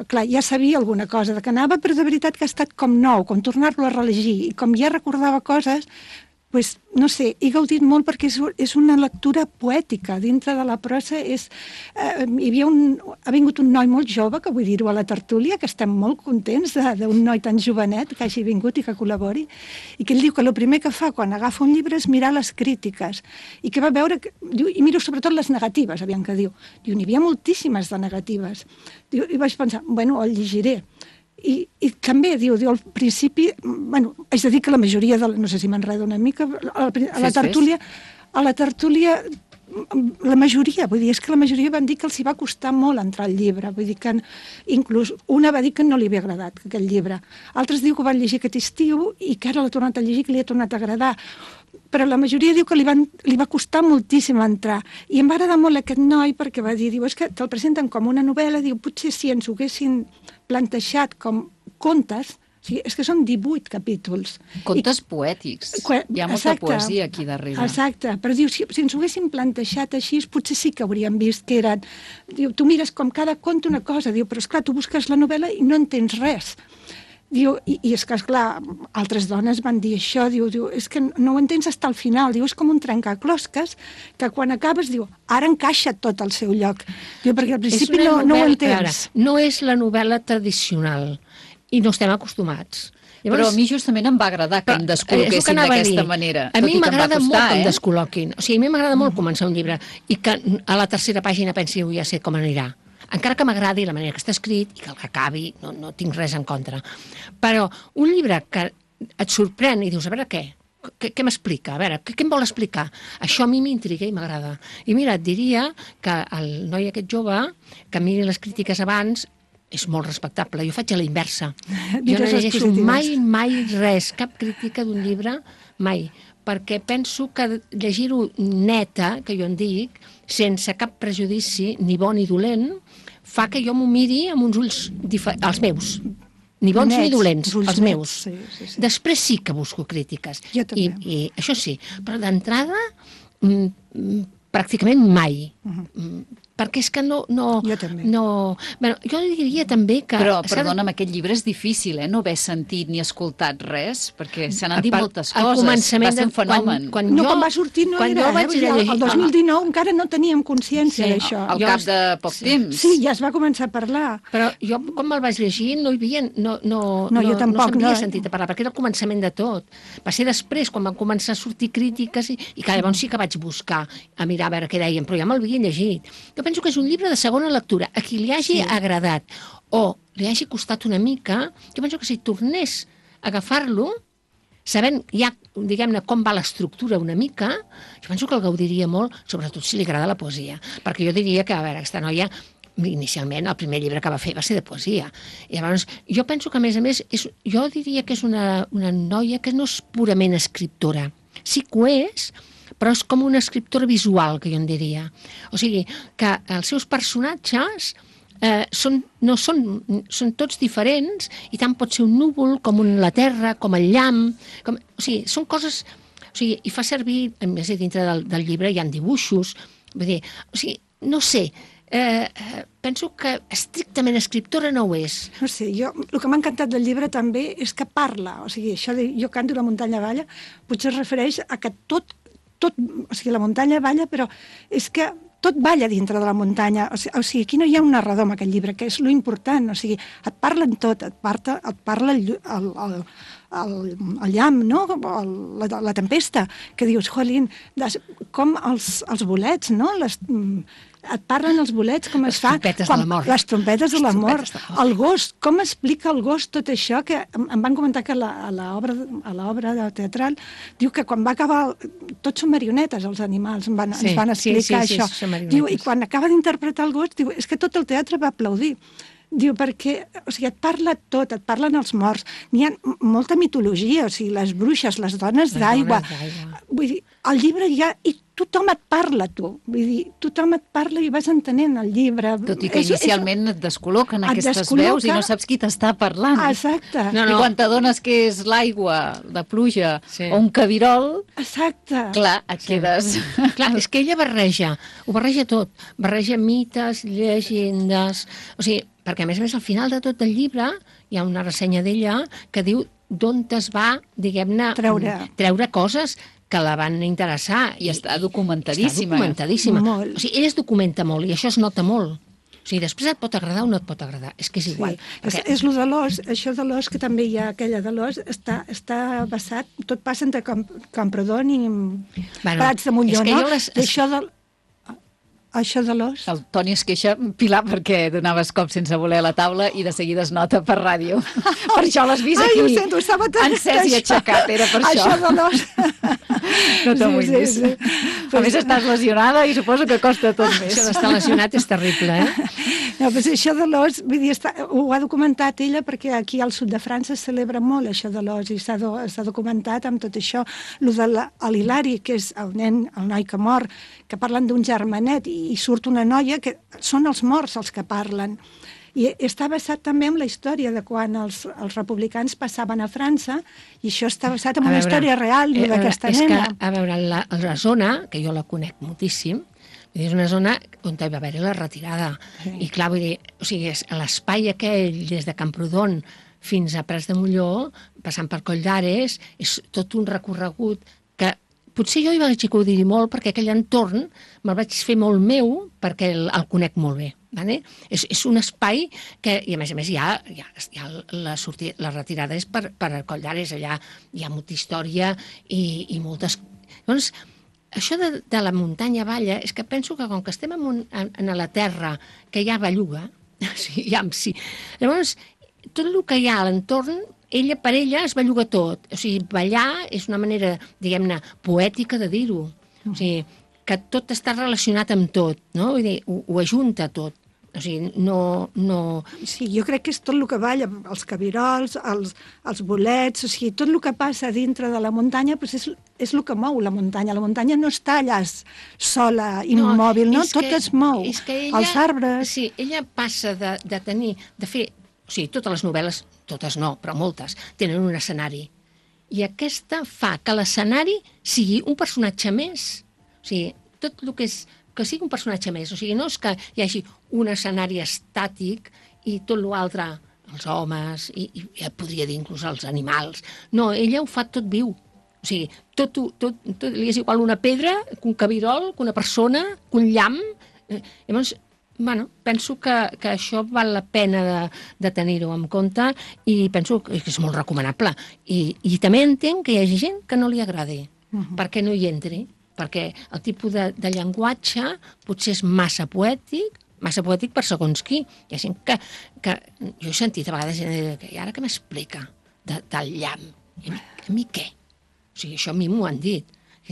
Clar, ja sabia alguna cosa de que anava, però de veritat que ha estat com nou, com tornar-lo a rellegir, i com ja recordava coses, pues, no sé, he gaudit molt perquè és, és una lectura poètica. Dintre de la prosa és... Eh, hi havia un, ha vingut un noi molt jove, que vull dir-ho a la tertúlia, que estem molt contents d'un noi tan jovenet que hagi vingut i que col·labori, i que ell diu que el primer que fa quan agafa un llibre és mirar les crítiques, i que va veure... Que, diu, i miro sobretot les negatives, aviam què diu. Diu, n'hi havia moltíssimes de negatives. Diu, i vaig pensar, bueno, el llegiré. I, i també, diu, diu, al principi, bueno, haig de dir que la majoria, de, no sé si m'enredo una mica, a la, a la tertúlia, a la tertúlia, la majoria, vull dir, és que la majoria van dir que els hi va costar molt entrar al llibre, vull dir que inclús una va dir que no li havia agradat aquell llibre, altres diu que van llegir aquest estiu i que ara l'ha tornat a llegir, que li ha tornat a agradar, però la majoria diu que li, van, li va costar moltíssim entrar, i em va agradar molt aquest noi perquè va dir, diu, és que te'l presenten com una novel·la, diu, potser si ens ho haguessin plantejat com contes, o sigui, és que són divuit capítols. Contes I, poètics. Que, Hi ha molta exacte, poesia aquí darrere. Exacte, però diu, si, si ens ho haguessin plantejat així, potser sí que hauríem vist que eren... Diu, tu mires com cada conte una cosa, diu, però esclar, tu busques la novel·la i no entens res. Diu, i, i és que, esclar, altres dones van dir això, diu, diu, és que no ho entens fins al final, diu, és com un trencaclosques, que quan acabes, diu, ara encaixa tot al seu lloc. Diu, perquè al principi no, no ho entens. Ara, no és la novel·la tradicional, i no estem acostumats. Llavors, però a mi justament em va agradar que em descol·loquessin d'aquesta manera. A mi m'agrada molt eh? que em descol·loquin. O sigui, a mi m'agrada molt començar un llibre i que a la tercera pàgina pensi, ja sé com anirà. Encara que m'agradi la manera que està escrit i que el que acabi, no, no tinc res en contra. Però un llibre que et sorprèn i dius, a veure què? Què, què m'explica? A veure, què, què em vol explicar? Això a mi m'intriga i m'agrada. I mira, et diria que el noi aquest jove, que miri les crítiques abans, és molt respectable. Jo faig a la inversa. Jo no llegeixo mai, mai res, cap crítica d'un llibre, mai. Perquè penso que llegir-ho neta, que jo en dic, sense cap prejudici, ni bo ni dolent, fa que jo m'ho miri amb uns ulls diferents, els meus. Ni bons nets, ni dolents, els, els meus. Sí, sí, sí. Després sí que busco crítiques. Jo també. I, i això sí, però d'entrada mm, pràcticament mai. Uh-huh. Perquè és que no... no jo també. No, bueno, jo diria també que... Però, perdona'm, aquest llibre és difícil, eh? No haver sentit ni escoltat res, perquè se n'han dit per, moltes coses. Va ser un fenomen. Quan, quan no, jo, quan va sortir no era, eh? Llegir, el dos mil dinou encara no teníem consciència sí, d'això. Al cap de poc sí, temps. Sí, ja es va començar a parlar. Però jo, quan me'l vaig llegir, no hi havia... No, no, no, jo no, tampoc. No s'havia no. sentit a parlar, perquè era el començament de tot. Va ser després, quan van començar a sortir crítiques, i, i que llavors sí que vaig buscar a mirar a veure què deien, però ja me'l havia llegit. Jo penso que és un llibre de segona lectura, a qui li hagi sí. agradat o li hagi costat una mica, jo penso que si tornés a agafar-lo, sabent ja, diguem-ne, com va l'estructura una mica, jo penso que el gaudiria molt, sobretot si li agrada la poesia. Perquè jo diria que, a veure, aquesta noia, inicialment, el primer llibre que va fer va ser de poesia. I llavors, jo penso que, a més a més, és, jo diria que és una, una noia que no és purament escriptora. Sí que ho és, però és com una escriptora visual, que jo en diria. O sigui, que els seus personatges eh, són, no són, són tots diferents, i tant pot ser un núvol, com un, la terra, com el llamp, com, o sigui, són coses... O sigui, i fa servir, a més, dintre del, del llibre hi ha dibuixos, vull dir, o sigui, no sé, eh, penso que estrictament escriptora no ho és. No sé, jo, el que m'ha encantat del llibre també és que parla, o sigui, això de jo canto la muntanya balla, potser es refereix a que tot tot, o sigui, la muntanya balla, però és que tot balla dintre de la muntanya. O sigui, o sigui aquí no hi ha un narrador en aquest llibre, que és lo important. O sigui, et parlen tot, et, parta, et parla el, el, el, el, el llamp, no? el, la, la tempesta, que dius, jolín, des, com els, els bolets, no? Les, et parlen els bolets, com es fa... Les trompetes de la mort. Les trompetes de la mort. El gos, com explica el gos tot això, que em van comentar que a l'obra teatral diu que quan va acabar... Tots són marionetes, els animals, ens van, sí, ens van explicar sí, sí, això. Sí, diu, i quan acaba d'interpretar el gos, diu, és que tot el teatre va aplaudir. Diu, perquè, o sigui, et parla tot, et parlen els morts. N'hi ha molta mitologia, o sigui, les bruixes, les dones d'aigua. Vull dir, al llibre hi ha... I tothom et parla, tu. Vull dir, tothom et parla i vas entenent el llibre. Tot i que és, inicialment és... et descol·loquen aquestes descol·loca... veus i no saps qui t'està parlant. Exacte. No, no. I quan t'adones que és l'aigua, la pluja sí. o un cabirol, exacte. Clar, et sí. quedes... Clar, és que ella barreja, ho barreja tot. Barreja mites, llegendes... O sigui, perquè a més a més al final de tot el llibre hi ha una ressenya d'ella que diu d'on es va, diguem-ne, treure. treure coses que la van interessar. I està documentadíssima. Està documentadíssima. Molt. O sigui, ella es documenta molt i això es nota molt. O sigui, després et pot agradar o no et pot agradar. És que és igual. Sí. Perquè... És, és lo de l'os, això de l'os, que també hi ha aquella de l'os, està, està basat, tot passa entre Camp, Camprodon i bueno, Prats de Montlló, no? Les... Això de... Això de l'os... El Toni es queixa, Pilar, perquè donaves cop sense voler a la taula i de seguida es nota per ràdio. Per això l'has vist aquí. Ai, ho sento, estava tan... Encès i aixecat, era per això. Això de l'os... No t'amoïnis. Sí, sí, sí. A més, estàs lesionada i suposo que costa tot més. Això d'estar lesionat és terrible, eh? No, però això de l'os, vull dir, està, ho ha documentat ella perquè aquí al sud de França es celebra molt això de l'os i s'ha do, documentat amb tot això. Lo de l'Hilari, que és el nen, el noi que mor, que parlen d'un germanet i, i surt una noia que són els morts els que parlen. I està basat també en la història de quan els, els republicans passaven a França i això està basat en una veure, història real eh, d'aquesta nena. Que, a veure, la, la zona, que jo la conec moltíssim, és una zona on hi va haver la retirada. Sí. I clar, vull dir, o sigui, l'espai aquell des de Camprodon fins a Prats de Molló, passant per Coll d'Ares, és tot un recorregut que potser jo hi vaig acudir molt perquè aquell entorn me'l vaig fer molt meu perquè el, el conec molt bé. Vale? És, és un espai que, i a més a més, hi ha, hi ha, hi ha la, sortida, la retirada és per, per Coll d'Ares, allà hi ha molta història i, i moltes... Llavors, això de, de la muntanya balla és que penso que com que estem en, un, en, en la terra que hi ha belluga, sí, ja, sí, llavors tot el que hi ha a l'entorn, ella per ella es belluga tot. O sigui, ballar és una manera, diguem-ne, poètica de dir-ho. O sigui, que tot està relacionat amb tot, no? Vull dir, ho, ho ajunta tot. O sigui, no, no... Sí, jo crec que és tot el que balla, els cabirols, els, els bolets, o sigui, tot el que passa dintre de la muntanya doncs és, és el que mou la muntanya. La muntanya no està allà sola, immòbil, no? no? Tot que, es mou. És que ella, els arbres... Sí, ella passa de, de tenir, de fer... O sigui, totes les novel·les, totes no, però moltes, tenen un escenari. I aquesta fa que l'escenari sigui un personatge més. O sigui, tot el que és... que sigui un personatge més. O sigui, no és que hi hagi un escenari estàtic i tot l'altre, els homes, i, i ja podria dir inclús els animals. No, ella ho fa tot viu. O sigui, tot, tot, tot, li és igual una pedra, que un cabirol, que una persona, que un llamp. Llavors, bueno, penso que, que això val la pena de, de tenir-ho en compte i penso que és molt recomanable. I, i també entenc que hi hagi gent que no li agradi, uh-huh. perquè no hi entri. Perquè el tipus de, de llenguatge potser és massa poètic massa poètic per segons qui. Hi ha gent que, que jo he sentit a vegades gent dir, i ara què m'explica de, del llamp? I a mi, a mi què? O sigui, això a mi m'ho han dit.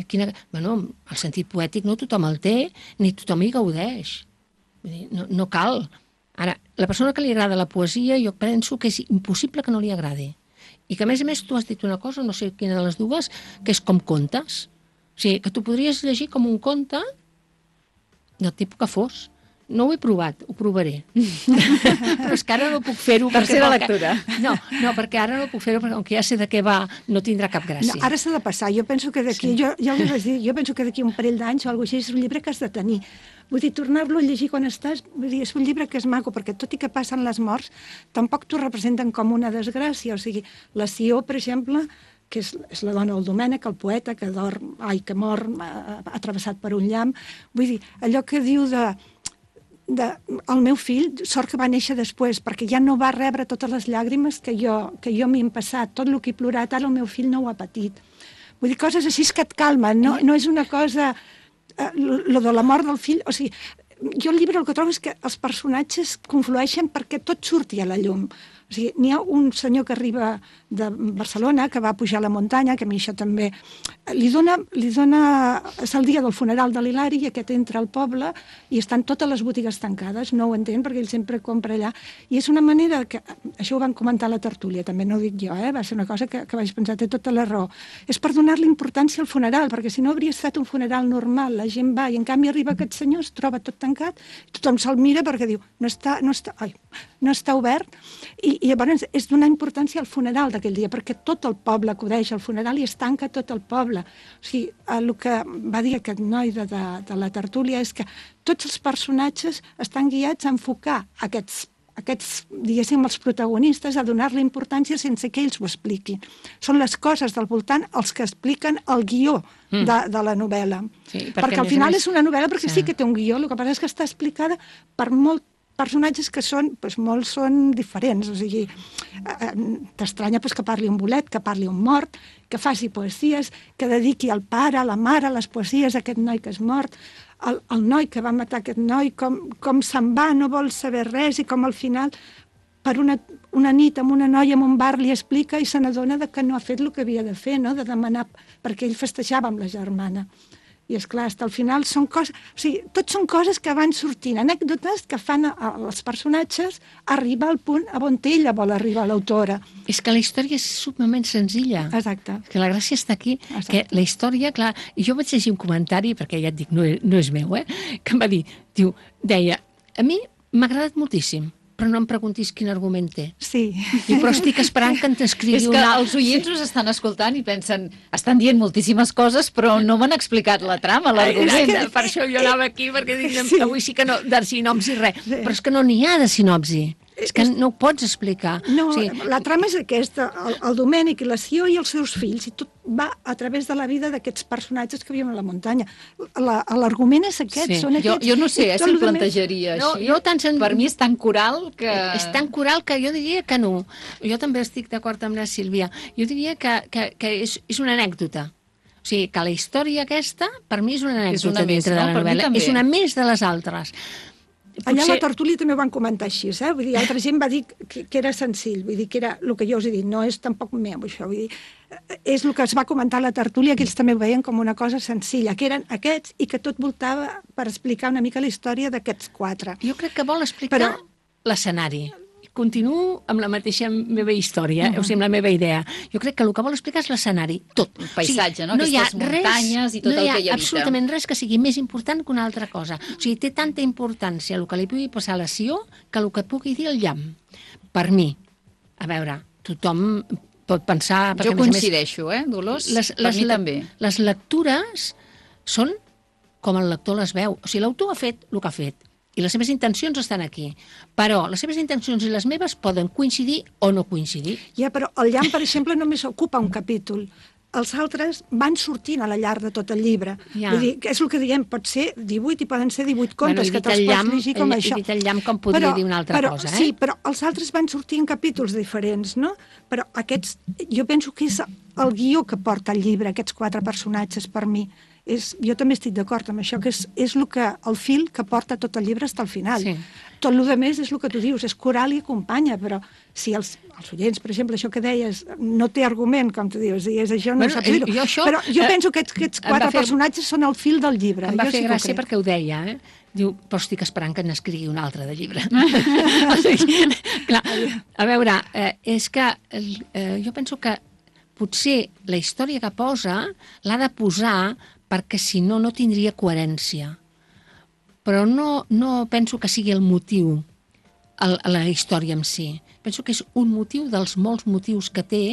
Quina... Bueno, el sentit poètic no tothom el té, ni tothom hi gaudeix. Vull dir, no, no cal. Ara, la persona que li agrada la poesia, jo penso que és impossible que no li agradi. I que, a més a més, tu has dit una cosa, no sé quina de les dues, que és com contes. O sigui, que tu podries llegir com un conte del tipus que fos. No ho he provat, ho provaré. Però és que ara no puc fer-ho. Tercera lectura. No, no, perquè ara no puc fer-ho, perquè com que ja sé de què va, no tindrà cap gràcia. No, ara s'ha de passar. Jo penso que d'aquí, sí. jo, jo, li vaig dir, jo penso que d'aquí un parell d'anys o alguna cosa així és un llibre que has de tenir. Vull dir, tornar-lo a llegir quan estàs, vull dir, és un llibre que és maco, perquè tot i que passen les morts, tampoc t'ho representen com una desgràcia. O sigui, la Sió, per exemple, que és, és la dona del Domènec, el poeta que dorm, ai, que mor atrevessat per un llamp. Vull dir, allò que diu de... De, el meu fill, sort que va néixer després, perquè ja no va rebre totes les llàgrimes que jo, que jo m'hi hem passat, tot el que he plorat, ara el meu fill no ho ha patit. Vull dir, coses així que et calmen, no, no és una cosa... Eh, lo de la mort del fill, o sigui, jo el llibre el que trobo és que els personatges conflueixen perquè tot surti a la llum. O sigui, n'hi ha un senyor que arriba de Barcelona, que va pujar a la muntanya, que a mi això també... Li dona, li dona... És el dia del funeral de l'Hilari i aquest entra al poble i estan totes les botigues tancades, no ho entén perquè ell sempre compra allà. I és una manera que... Això ho van comentar a la tertúlia, també no ho dic jo, eh? Va ser una cosa que, que vaig pensar, té tota la raó. És per donar-li importància al funeral, perquè si no hauria estat un funeral normal, la gent va i en canvi arriba aquest senyor, es troba tot tancat, tothom se'l mira perquè diu, no està, no està, ai, no està obert, i, i llavors és donar importància al funeral d'aquell dia, perquè tot el poble acudeix al funeral i es tanca tot el poble. O sigui, el que va dir aquest noi de, de, de la tertúlia és que tots els personatges estan guiats a enfocar aquests, aquests, diguéssim, els protagonistes, a donar-li importància sense que ells ho expliquin. Són les coses del voltant els que expliquen el guió mm. de, de la novel·la. Sí, perquè, perquè al final més... és una novel·la perquè sí. sí que té un guió, el que passa és que està explicada per molt personatges que són, doncs, molts són diferents, o sigui, eh, t'estranya doncs, que parli un bolet, que parli un mort, que faci poesies, que dediqui al pare, a la mare, les poesies a aquest noi que és mort, el, el noi que va matar aquest noi, com, com se'n va, no vol saber res, i com al final, per una, una nit amb una noia en un bar li explica i se n'adona que no ha fet el que havia de fer, no? De demanar, perquè ell festejava amb la germana. I, esclar, hasta al final són coses... O sigui, tot són coses que van sortint, anècdotes que fan als personatges arribar al punt on ella vol arribar, l'autora. És que la història és sumament senzilla. Exacte. Que la gràcia està aquí, Exacte. Que la història, clar... I jo vaig llegir un comentari, perquè ja et dic, no és, no és meu, eh? Que em va dir, diu, deia, a mi m'ha agradat moltíssim, però no em preguntis quin argument té. Sí. I però estic esperant que t'escrigui una... És que una... els oients us estan escoltant i pensen, estan dient moltíssimes coses, però no m'han explicat la trama, l'argument. Que... Per això jo anava aquí, perquè dic, sí. Avui sí que no, de sinopsi res. Sí. Però és que no n'hi ha de sinopsi. És que no ho pots explicar. No, o sigui... la trama és aquesta, el, el Domènec i la Sió i els seus fills, i tot va a través de la vida d'aquests personatges que viuen a la muntanya. L'argument és aquest, sí. són aquests. Jo, jo no sé eh, si el plantejaria més... així. No, no sen... Per mi és tan coral que... És tan coral que jo diria que no. Jo també estic d'acord amb la Sílvia. Jo diria que, que, que és, és una anècdota. O sigui, que la història aquesta, per mi és una anècdota és una dintre més, de la no? novel·la. És una més de les altres. Potser... Allà a la tertúlia també ho van comentar així, eh? Vull dir, altra gent va dir que, que era senzill, vull dir, que era el que jo us he dit, no és tampoc meu, això, vull dir, és el que es va comentar a la tertúlia, que ells també ho veien com una cosa senzilla, que eren aquests i que tot voltava per explicar una mica la història d'aquests quatre. Jo crec que vol explicar Però... l'escenari. Continuo amb la mateixa meva història, uh-huh. o sigui, amb la meva idea. Jo crec que el que vol explicar és l'escenari, tot. El paisatge, o sigui, no? no Aquestes muntanyes res, i tot no el que hi habita. No hi ha absolutament res que sigui més important que una altra cosa. O sigui, té tanta importància el que li pugui passar a la Sió que el que pugui dir el llamp. Per mi, a veure, tothom pot pensar... Jo coincideixo, eh, Dolors? Les, per les, mi també. Les lectures són com el lector les veu. O sigui, l'autor ha fet el que ha fet. I les seves intencions estan aquí. Però les seves intencions i les meves poden coincidir o no coincidir. Ja, però el llamp, per exemple, només ocupa un capítol. els altres van sortint a la llarg de tot el llibre. Ja. Vull dir, que és el que diem, pot ser divuit i poden ser divuit contes, Bueno, he que dit te'ls el pots llamp, llegir com he- he això. dit el llamp com podria dir una altra però, cosa, eh? Sí, però els altres van sortir en capítols diferents, no? Però aquests, jo penso que és el guió que porta el llibre, aquests quatre personatges, per mi. És, jo també estic d'acord amb això, que és, és el, que, el fil que porta tot el llibre fins al final. Sí. Tot el que més és el que tu dius, és coral i acompanya, però si els, els oients, per exemple, això que deies, no té argument, com tu dius, i és això, no Bueno, saps dir-ho. jo això, Però jo eh, penso que aquests, aquests em va quatre fer- personatges són el fil del llibre. Em va jo fer sí que ho gràcia crec. perquè ho deia, eh? Diu, però estic esperant que n'escrigui un altre de llibre. O sigui, clar, a veure, eh, és que eh, jo penso que potser la història que posa l'ha de posar perquè si no, no tindria coherència. Però no, no penso que sigui el motiu, el, la història en si. Penso que és un motiu dels molts motius que té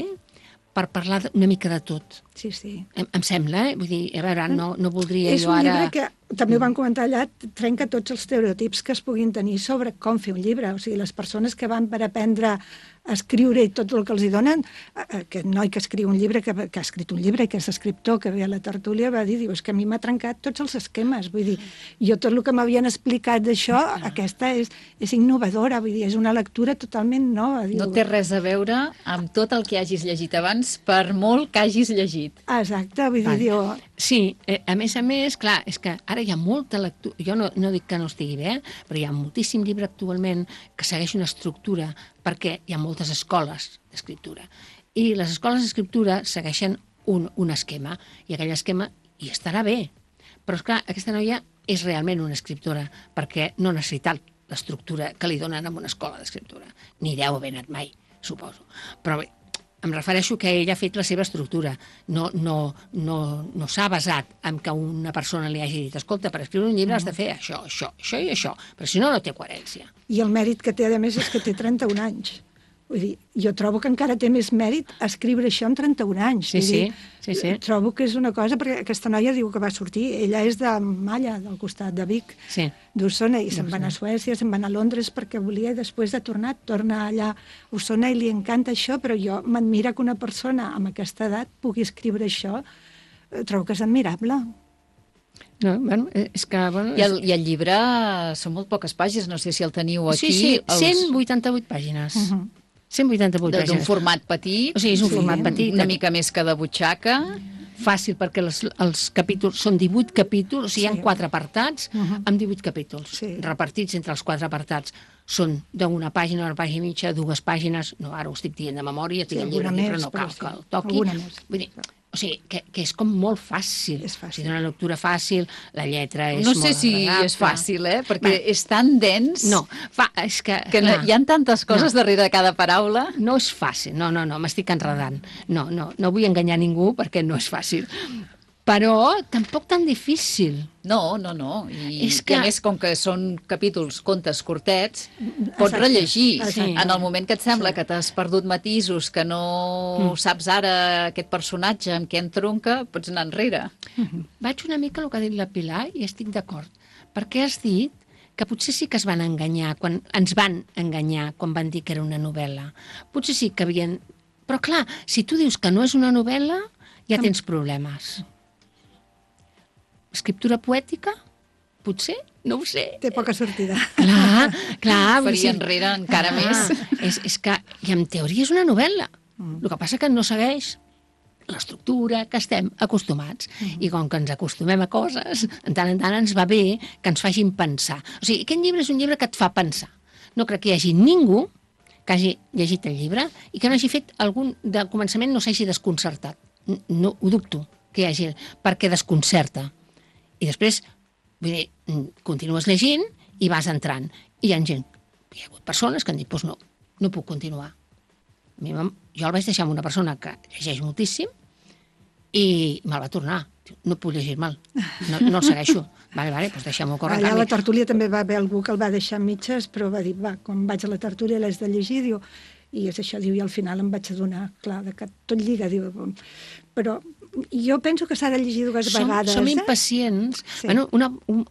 per parlar una mica de tot. Sí, sí. Em, em sembla, eh? Vull dir, a veure, no, no voldria És jo un ara... llibre que, també ho van comentar allà, trenca tots els estereotips que es puguin tenir sobre com fer un llibre. O sigui, les persones que van per aprendre a escriure i tot el que els hi donen, eh, aquest noi que escriu un llibre, que, que ha escrit un llibre i que és escriptor, que ve a la tertúlia, va dir, diu, és que a mi m'ha trencat tots els esquemes. Vull dir, jo tot el que m'havien explicat d'això, aquesta és, és innovadora, vull dir, és una lectura totalment nova. Diu. No té res a veure amb tot el que hagis llegit abans, per molt que hagis llegit. Exacte, vull dir, Vale. diu... Sí, eh, a més a més, clar, és que ara hi ha molta lectura, jo no, no dic que no estigui bé, eh? Però hi ha moltíssim llibre actualment que segueix una estructura perquè hi ha moltes escoles d'escriptura. I les escoles d'escriptura segueixen un, un esquema, i aquell esquema hi estarà bé. Però, esclar, aquesta noia és realment una escriptora, perquè no ha necessitat l'estructura que li donen en una escola d'escriptura. Ni deu haver anat mai, suposo. Però bé, em refereixo que ella ha fet la seva estructura. No, no, no, no s'ha basat en que una persona li hagi dit escolta, per escriure un llibre has de fer això, això, això i això, però si no, no té coherència. I el mèrit que té, a més, és que té trenta-un anys. Vull dir, jo trobo que encara té més mèrit escriure això en trenta-un anys. Sí, Vull sí, dir, sí, sí. Trobo que és una cosa, perquè aquesta noia diu que va sortir, ella és de Malla, del costat de Vic, Sí. d'Osona, i se'n van a Suècia, se'n van a Londres perquè volia, i després de tornar, torna allà a Osona i li encanta això, però jo m'admira que una persona amb aquesta edat pugui escriure això, eh, trobo que és admirable. No, bueno, és que... Bueno, I el, I el llibre són molt poques pàgines, no sé si el teniu aquí. Sí, sí, els- cent vuitanta-vuit pàgines. Uh -huh. cent vuitanta-vuit D'un pàgines. format petit. O sigui, és un sí, format petit. Una mica més que de butxaca. Fàcil, perquè els, els capítols són divuit capítols, o sigui, hi Sí. ha quatre apartats Uh -huh. amb divuit capítols, Sí. repartits entre els quatre apartats. Són d'una pàgina, una pàgina i mitja, dues pàgines, no, ara ho estic dient de memòria, tinc Sí, el llibre alguna aquí, però més, no cal però sí, que el toqui. alguna més. Vull dir, o sigui, que, que és com molt fàcil. És fàcil. O sigui, una lectura fàcil, la lletra és No molt sé si agradable. és fàcil, eh? Perquè Bé. és tan dens No, fa, és que... que no, clar, hi ha tantes coses No. darrere de cada paraula. No és fàcil, no, no, no, m'estic enredant. No, no, no vull enganyar ningú perquè no és fàcil. Però tampoc tan difícil. No, no, no. I, És I que- a més, com que són capítols, contes curtets, pots Exacte. rellegir. Sí. En el moment que et sembla que t'has perdut matisos, que no Mm. saps ara aquest personatge amb què entronca, pots anar enrere. Vaig una mica el que ha dit la Pilar i estic d'acord. Perquè has dit que potser sí que es van enganyar, quan ens van enganyar quan van dir que era una novel·la. Potser sí que havien... Però clar, si tu dius que no és una novel·la, ja tens problemes. Escriptura poètica? Potser? No ho sé. Té poca sortida. Clar, clar. vull Faria dir, enrere encara ah, més. És, és que, i en teoria és una novel·la. El que passa que no segueix l'estructura que estem acostumats. I com que ens acostumem a coses, en tant en tant ens va bé que ens facin pensar. O sigui, aquest llibre és un llibre que et fa pensar. No crec que hi hagi ningú que hagi llegit el llibre i que no hagi fet algun... De començament no s'hagi desconcertat. No, ho dubto que hi hagi... Perquè desconcerta. I després, vull dir, continues llegint i vas entrant. I hi ha gent, hi ha hagut persones que han dit, doncs no, no puc continuar. A mi, jo el vaig deixar amb una persona que llegeix moltíssim i me'l va tornar. No puc llegir mal, no, no el segueixo. Vale, vale, doncs deixem-ho córrer. Allà a la tertúlia també va haver algú que el va deixar a mitges, però va dir, va, quan vaig a la tertúlia l'has de llegir, diu, i és això, diu, i al final em vaig adonar, clar, de que tot lliga, diu, però jo penso que s'ha de llegir dues som, vegades. Som eh? impacients. Sí. Bueno, una, un,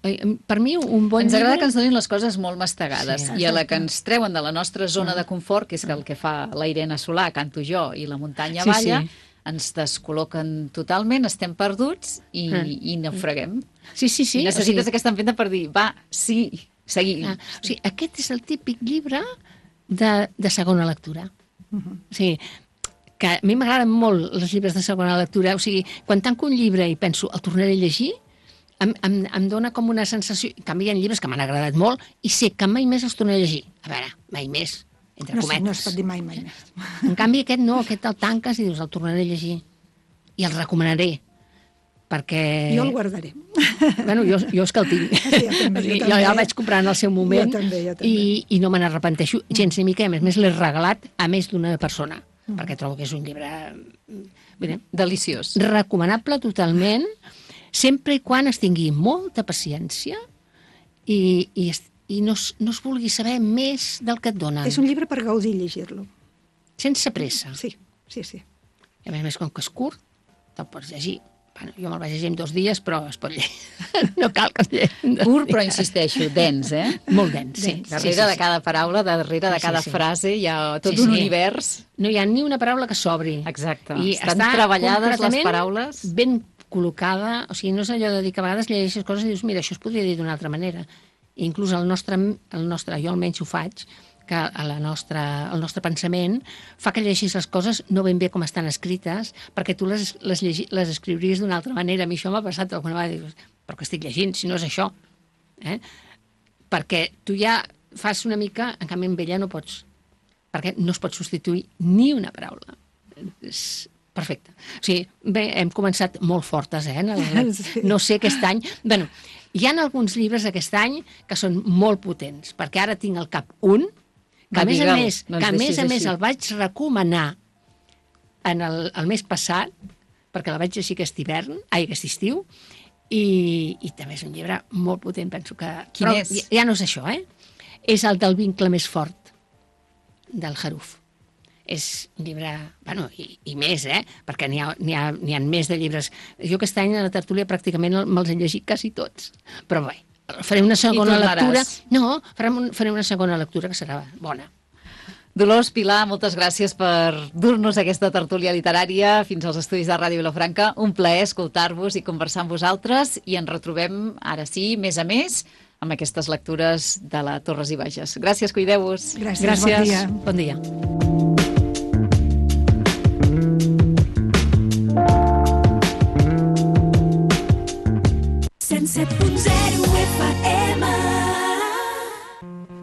per mi, un bon Ens agrada llibre... que ens donin les coses molt mastegades Sí, i a la que ens treuen de la nostra zona de confort, que és el que fa la Irene Solà, canto jo, i la muntanya Sí, balla, sí. ens descol·loquen totalment, estem perduts i, Mm. i naufraguem. Sí, sí, sí. I necessites o sigui, aquesta empenta per dir, va, sí, seguim. ah, o sigui, aquest és el típic llibre de, de segona lectura. Mhm. O sigui, que a mi m'agraden molt els llibres de segona lectura. O sigui, quan tanco un llibre i penso, el tornaré a llegir, em, em, em dona com una sensació... En canvi, hi ha llibres que m'han agradat molt i sé que mai més els tornaré a llegir. A veure, mai més, entre No, cometes. sé, no es pot dir mai, mai més. En canvi, aquest no, aquest el tanques i dius, el tornaré a llegir. I el recomanaré, perquè... Jo el guardaré. Bueno, jo, jo és que el tinc. Sí, jo també, jo jo, també. ja el vaig comprar en el seu moment Jo també, jo també. i, i no me n'arrepenteixo gens ni mica. A més, a més l'he regalat a més d'una persona, mm. perquè trobo que és un llibre bé, Deliciós. recomanable totalment, sempre i quan es tingui molta paciència i, i, es, i no, es, no es vulgui saber més del que et donen. És un llibre per gaudir llegir-lo. Sense pressa. Sí, sí, sí. I a més a més, com que és curt, te'l pots llegir. Bueno, jo me'l vaig llegir en dos dies, però es pot llegir. No cal que es llegeixi en dos Curt, dies. però insisteixo, dens, eh? Molt dens, sí. Darrere sí, sí, de cada paraula, darrere de Sí, sí, cada sí. frase, hi ha tot Sí, un sí. univers. No hi ha ni una paraula que s'obri. Exacte. I Estan està treballades les completament paraules. ben col·locada, o sigui, no és allò de dir que a vegades llegeixes coses i dius, mira, això es podria dir d'una altra manera. I inclús el nostre, el nostre, jo almenys ho faig, que a la nostra, el nostre pensament fa que llegeixis les coses no ben bé com estan escrites, perquè tu les, les, llegi, les escriuries d'una altra manera. A mi això m'ha passat alguna vegada, dius, però que estic llegint, si no és això. Eh? Perquè tu ja fas una mica, en canvi amb ella no pots, perquè no es pot substituir ni una paraula. És perfecte. O sigui, bé, hem començat molt fortes, eh? En el, Sí. no sé aquest any... Bueno, hi ha alguns llibres aquest any que són molt potents, perquè ara tinc al cap un, que Va, a més a digue'l, més, no ens que a més, deixis a més així. el vaig recomanar en el, el mes passat, perquè la vaig llegir aquest hivern, ai, aquest estiu, i, i també és un llibre molt potent, penso que... Quin Però és? Ja, ja no és això, eh? És el del vincle més fort, del Haruf. És un llibre, bueno, i, i més, eh? Perquè n'hi ha, n'hi ha, n'hi ha més de llibres. Jo aquest any a la tertúlia pràcticament me'ls he llegit quasi tots. Però bé, faré una segona tornaràs. lectura. No, farem un, faré una segona lectura que serà bona. Dolors, Pilar, moltes gràcies per dur-nos aquesta tertúlia literària fins als estudis de Ràdio Vilafranca. Un plaer escoltar-vos i conversar amb vosaltres i ens retrobem, ara sí, més a més, amb aquestes lectures de la Torres i Bages. Gràcies, cuideu-vos. Gràcies, Gràcies. bon dia. Bon dia. cent set punt zero F M